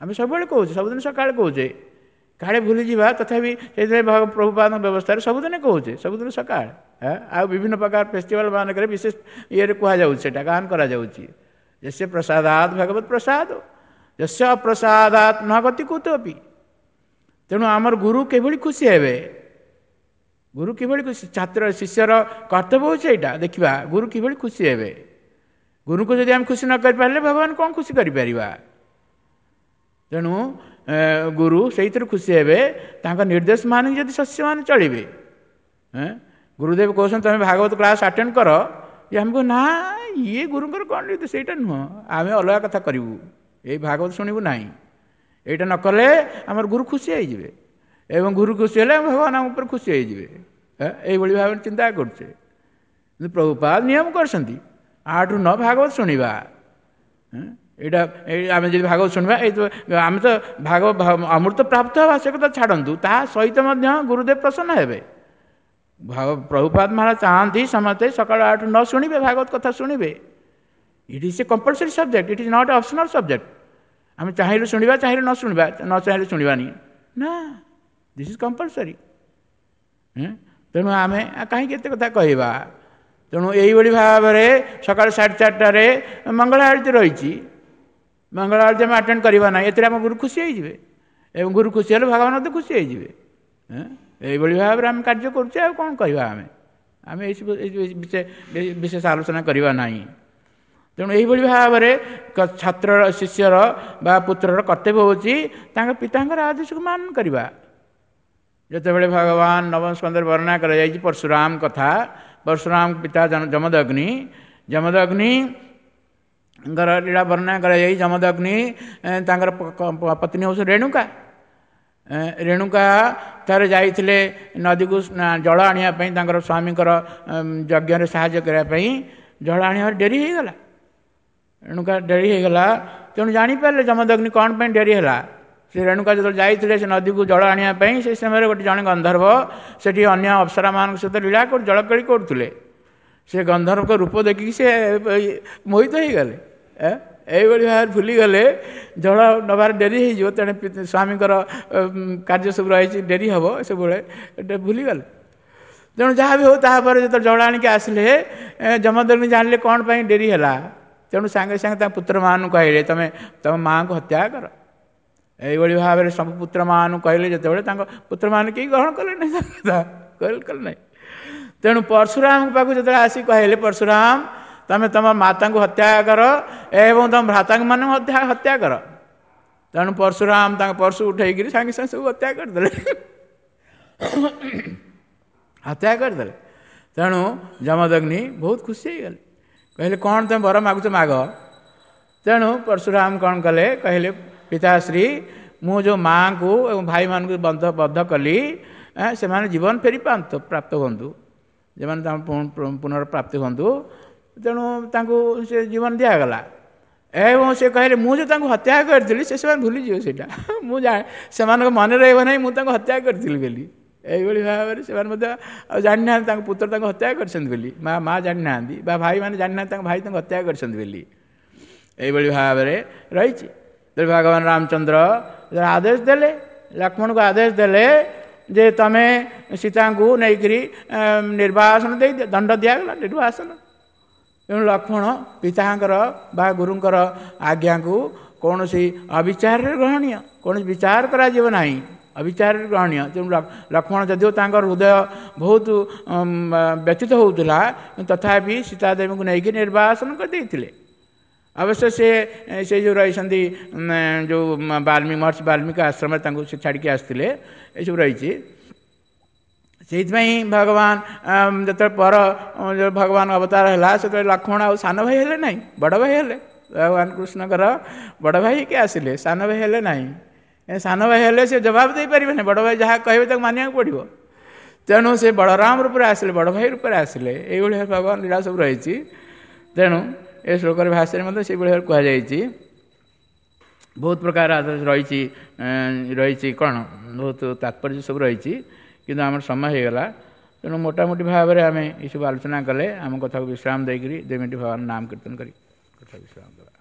ଆମେ ସବୁବେଳେ କହୁଛେ, ସବୁଦିନ ସକାଳେ କହୁଛେ, କାଳେ ଭୁଲିଯିବା, ତଥାପି ସେଇଥିପାଇଁ ପ୍ରଭୁପାଦଙ୍କ ବ୍ୟବସ୍ଥାରେ ସବୁଦିନ କହୁଛେ, ସବୁଦିନ ସକାଳେ। ଆଉ ବିଭିନ୍ନ ପ୍ରକାର ଫେଷ୍ଟିଭାଲ ମାନଙ୍କରେ ବିଶେଷ ଇଏରେ କୁହାଯାଉଛି, ସେଇଟା ଗାନ କରାଯାଉଛି। ଯସ୍ୟ ପ୍ରସାଦାତ ଭଗବତ ପ୍ରସାଦ, ଯସ୍ୟ ଅପ୍ରସାଦାତ ନ ଗତି କୁତୋପି। ତେଣୁ ଆମର ଗୁରୁ କିଭଳି ଖୁସି ହେବେ? ଗୁରୁ କିଭଳି ଖୁସି? ଛାତ୍ର ଶିଷ୍ୟର କର୍ତ୍ତବ୍ୟ ହେଉଛି ଏଇଟା ଦେଖିବା, ଗୁରୁ କିଭଳି ଖୁସି ହେବେ। ଗୁରୁଙ୍କୁ ଯଦି ଆମେ ଖୁସି ନ କରିପାରିଲେ ଭଗବାନ କ'ଣ ଖୁସି କରିପାରିବା? ତେଣୁ ଗୁରୁ ସେଇଥିରୁ ଖୁସି ହେବେ, ତାଙ୍କ ନିର୍ଦ୍ଦେଶ ମାନିକି ଯଦି ଶିଷ୍ୟମାନେ ଚଳିବେ। ଗୁରୁଦେବ କହୁଛନ୍ତି ତୁମେ ଭାଗବତ କ୍ଲାସ୍ ଆଟେଣ୍ଡ କର, ଇଏ ଆମକୁ ନା, ଇଏ ଗୁରୁଙ୍କର କ'ଣ ନିର୍ଦ୍ଦେଶ, ସେଇଟା ନୁହଁ, ଆମେ ଅଲଗା କଥା କରିବୁ, ଏଇ ଭାଗବତ ଶୁଣିବୁ ନାହିଁ। ଏଇଟା ନ କଲେ ଆମର ଗୁରୁ ଖୁସି ହେଇଯିବେ, ଏବଂ ଗୁରୁ ଖୁସି ହେଲେ ଭଗବାନ ଆମ ଉପରେ ଖୁସି ହେଇଯିବେ। ଏଇଭଳି ଭାବରେ ଚିନ୍ତା କରୁଛେ। କିନ୍ତୁ ପ୍ରଭୁପାଦ ନିୟମ କରିଛନ୍ତି 8ରୁ 9 ଭାଗବତ ଶୁଣିବା। ଏଇଟା ଆମେ ଯଦି ଭାଗବତ ଶୁଣିବା, ଏଇ ଆମେ ତ ଭାଗବତ ଅମୃତ ପ୍ରାପ୍ତ ହେବା ସେ କଥା ଛାଡ଼ନ୍ତୁ, ତା ସହିତ ମଧ୍ୟ ଗୁରୁଦେବ ପ୍ରସନ୍ନ ହେବେ। ପ୍ରଭୁପାଦ ମହାରାଜ ଚାହାନ୍ତି ସମସ୍ତେ ସକାଳ 8ରୁ 9 ଶୁଣିବେ, ଭାଗବତ କଥା ଶୁଣିବେ। It is a compulsory subject, it is not optional subject. ଆମେ ଚାହିଁଲେ ଶୁଣିବା, ଚାହିଁଲେ ନ ଶୁଣିବା, ନ ଚାହିଁଲେ ଶୁଣିବାନି ନା, this is compulsory. ତେଣୁ ଆମେ କାହିଁକି ଏତେ କଥା କହିବା। ତେଣୁ ଏଇଭଳି ଭାବରେ ସକାଳ 4:30ରେ ମଙ୍ଗଳ ଆଳତୀ ରହିଛି, ମଙ୍ଗଳ ଆଳତୀ ଆମେ ଆଟେଣ୍ଡ କରିବା ନାହିଁ, ଏଥିରେ ଆମ ଗୁରୁ ଖୁସି ହେଇଯିବେ ଏବଂ ଗୁରୁ ଖୁସି ହେଲେ ଭଗବାନ ମଧ୍ୟ ଖୁସି ହେଇଯିବେ। ଏଇଭଳି ଭାବରେ ଆମେ କାର୍ଯ୍ୟ କରୁଛେ, ଆଉ କ'ଣ କହିବା ଆମେ ଆମେ ଏଇସବୁ ବିଶେଷ ଆଲୋଚନା କରିବା ନାହିଁ। ତେଣୁ ଏଇଭଳି ଭାବରେ ଛାତ୍ରର, ଶିଷ୍ୟର ବା ପୁତ୍ରର କର୍ତ୍ତବ୍ୟ ହେଉଛି ତାଙ୍କ ପିତାଙ୍କର ଆଦେଶକୁ ମାନ କରିବା। ଯେତେବେଳେ ଭଗବାନ ନବମ ସ୍କନ୍ଧରେ ବର୍ଣ୍ଣନା କରାଯାଇଛି ପରଶୁରାମ କଥା, ପରଶୁରାମ ପିତା ଯମଦଗ୍ନି, ଯମଦଗ୍ନିଙ୍କର ଲୀଳା ବର୍ଣ୍ଣନା କରାଯାଇ ଯମଦଗ୍ନି ତାଙ୍କର ପତ୍ନୀ ହେଉଛନ୍ତି ରେଣୁକା। ରେଣୁକା ଥରେ ଯାଇଥିଲେ ନଦୀକୁ ଜଳ ଆଣିବା ପାଇଁ, ତାଙ୍କର ସ୍ୱାମୀଙ୍କର ଯଜ୍ଞରେ ସାହାଯ୍ୟ କରିବା ପାଇଁ ଜଳ ଆଣିବାର ଡେରି ହେଇଗଲା, ରେଣୁକା ଡେରି ହେଇଗଲା। ତେଣୁ ଜାଣିପାରିଲେ ଯମଦଗ୍ନି କ'ଣ ପାଇଁ ଡେରି ହେଲା। ସେ ରେଣୁକା ଯେତେବେଳେ ଯାଇଥିଲେ ସେ ନଦୀକୁ ଜଳ ଆଣିବା ପାଇଁ, ସେ ସମୟରେ ଗୋଟେ ଜଣେ ଗନ୍ଧର୍ବ ସେଠି ଅନ୍ୟ ଅପ୍ସରାମାନଙ୍କ ସହିତ ଲୀଳା ଜଳକେଳି କରୁଥିଲେ। ସେ ଗନ୍ଧର୍ବଙ୍କ ରୂପ ଦେଖିକି ସେ ମୋହିତ ହେଇଗଲେ, ଏଇଭଳି ଭାବରେ ଭୁଲିଗଲେ ଜଳ ନେବାର ଡେରି ହେଇଯିବ, ତେଣୁ ସ୍ୱାମୀଙ୍କର କାର୍ଯ୍ୟ ସବୁ ରହିଛି, ଡେରି ହେବ, ସବୁବେଳେ ଭୁଲିଗଲେ। ତେଣୁ ଯାହା ବି ହଉ, ତାପରେ ଯେତେବେଳେ ଜଳ ଆଣିକି ଆସିଲେ ଯମଦଗ୍ନି ଜାଣିଲେ କ'ଣ ପାଇଁ ଡେରି ହେଲା। ତେଣୁ ସାଙ୍ଗେ ସାଙ୍ଗେ ତାଙ୍କ ପୁତ୍ରମାନଙ୍କୁ କହିଲେ, ତମେ ତମ ମାଆଙ୍କୁ ହତ୍ୟା କର। ଏଇଭଳି ଭାବରେ ସବୁ ପୁତ୍ରମାନଙ୍କୁ କହିଲେ। ଯେତେବେଳେ ତାଙ୍କ ପୁତ୍ରମାନେ କେହି ଗ୍ରହଣ କଲେ ନାହିଁ, କଲେ ନାହିଁ। ତେଣୁ ପରଶୁରାମଙ୍କ ପାଖକୁ ଯେତେବେଳେ ଆସି କହିଲେ, ପରଶୁରାମ ତମେ ତମ ମାତାଙ୍କୁ ହତ୍ୟା କର ଏବଂ ତମ ଭ୍ରାତାଙ୍କୁ ମାନଙ୍କୁ ହତ୍ୟା କର। ତେଣୁ ପରଶୁରାମ ତାଙ୍କ ପରଶୁ ଉଠେଇକିରି ସାଙ୍ଗେ ସାଙ୍ଗେ ସବୁ ହତ୍ୟା କରିଦେଲେ, ହତ୍ୟା କରିଦେଲେ। ତେଣୁ ଯମଦଗ୍ନି ବହୁତ ଖୁସି ହେଇଗଲେ, କହିଲେ କ'ଣ ତମେ ବର ମାଗୁଛ ମାଗ। ତେଣୁ ପରଶୁରାମ କ'ଣ କଲେ, କହିଲେ ପିତାଶ୍ରୀ, ମୁଁ ଯେଉଁ ମାଆଙ୍କୁ ଏବଂ ଭାଇମାନଙ୍କୁ ବଦ୍ଧ କଲି, ସେମାନେ ଜୀବନ ଫେରି ପାଆନ୍ତୁ, ପ୍ରାପ୍ତ ହୁଅନ୍ତୁ, ଯେମାନେ ପୁନର୍ପ୍ରାପ୍ତି ହୁଅନ୍ତୁ। ତେଣୁ ତାଙ୍କୁ ସେ ଜୀବନ ଦିଆଗଲା। ଏବଂ ସେ କହିଲେ ମୁଁ ଯେଉଁ ତାଙ୍କୁ ହତ୍ୟା କରିଥିଲି ସେ ସେମାନେ ଭୁଲିଯିବେ, ସେଇଟା ମୁଁ ଜାଣେ, ସେମାନଙ୍କ ମନେ ରହିବ ନାହିଁ ମୁଁ ତାଙ୍କୁ ହତ୍ୟା କରିଥିଲି ବୋଲି। ଏଇଭଳି ଭାବରେ ସେମାନେ ମଧ୍ୟ ଆଉ ଜାଣିନାହାନ୍ତି ତାଙ୍କ ପୁତ୍ର ତାଙ୍କୁ ହତ୍ୟା କରିଛନ୍ତି ବୋଲି, ମା ଜାଣିନାହାନ୍ତି ବା ଭାଇମାନେ ଜାଣିନାହାନ୍ତି ତାଙ୍କ ଭାଇ ତାଙ୍କୁ ହତ୍ୟା କରିଛନ୍ତି ବୋଲି। ଏଇଭଳି ଭାବରେ ରହିଛି। ତେଣୁ ଭଗବାନ ରାମଚନ୍ଦ୍ର ଆଦେଶ ଦେଲେ, ଲକ୍ଷ୍ମଣକୁ ଆଦେଶ ଦେଲେ ଯେ ତମେ ସୀତାଙ୍କୁ ନେଇକରି ନିର୍ବାସନ ଦେଇ ଦଣ୍ଡ ଦିଆଗଲା, ନିର୍ବାସନ। ତେଣୁ ଲକ୍ଷ୍ମଣ ପିତାଙ୍କର ବା ଗୁରୁଙ୍କର ଆଜ୍ଞାକୁ କୌଣସି ଅବିଚାରରେ ଗ୍ରହଣୀୟ, କୌଣସି ବିଚାର କରାଯିବ ନାହିଁ, ଅବିଚାରରେ ଗ୍ରହଣୀୟ। ତେଣୁ ଲକ୍ଷ୍ମଣ ଯଦିଓ ତାଙ୍କର ହୃଦୟ ବହୁତ ବ୍ୟଥିତ ହେଉଥିଲା, ତଥାପି ସୀତାଦେବୀଙ୍କୁ ନେଇକି ନିର୍ବାସନ କରିଦେଇଥିଲେ। ଅବଶ୍ୟ ସେ ଯେଉଁ ରହିଛନ୍ତି ଯେଉଁ ବାଲ୍ମୀକି ମହର୍ଷି ବାଲ୍ମୀକି ଆଶ୍ରମରେ ତାଙ୍କୁ ସେ ଛାଡ଼ିକି ଆସିଥିଲେ, ଏସବୁ ରହିଛି। ସେଇଥିପାଇଁ ଭଗବାନ ଯେତେବେଳେ ପର ଭଗବାନ ଅବତାର ହେଲା, ସେତେବେଳେ ଲକ୍ଷ୍ମଣ ଆଉ ସାନ ଭାଇ ହେଲେ ନାହିଁ, ବଡ଼ ଭାଇ ହେଲେ। ଭଗବାନ କୃଷ୍ଣଙ୍କର ବଡ଼ ଭାଇ ହେଇକି ଆସିଲେ, ସାନ ଭାଇ ହେଲେ ନାହିଁ। ସାନ ଭାଇ ହେଲେ ସେ ଜବାବ ଦେଇପାରିବେ ନାହିଁ, ବଡ଼ ଭାଇ ଯାହା କହିବେ ତାକୁ ମାନିବାକୁ ପଡ଼ିବ। ତେଣୁ ସେ ବଳରାମ ରୂପରେ ଆସିଲେ, ବଡ଼ ଭାଇ ରୂପରେ ଆସିଲେ। ଏଇଭଳି ଭଗବାନ ଲୀଳା ସବୁ ରହିଛି। ତେଣୁ ଏ ଶ୍ଲୋକର ଭାଷାରେ ମଧ୍ୟ ସେଇଭଳି ଭାବରେ କୁହାଯାଇଛି। ବହୁତ ପ୍ରକାର ରହିଛି, ରହିଛି କ'ଣ ବହୁତ ତାତ୍ପର୍ଯ୍ୟ ସବୁ ରହିଛି, କିନ୍ତୁ ଆମର ସମୟ ହେଇଗଲା। ତେଣୁ ମୋଟାମୋଟି ଭାବରେ ଆମେ ଏସବୁ ଆଲୋଚନା କଲେ। ଆମ କଥାକୁ ବିଶ୍ରାମ ଦେଇକରି 2 ମିନିଟ୍ ଭଗବାନ ନାମ କୀର୍ତ୍ତନ କରି କଥା ବିଶ୍ରାମ ଦେବା।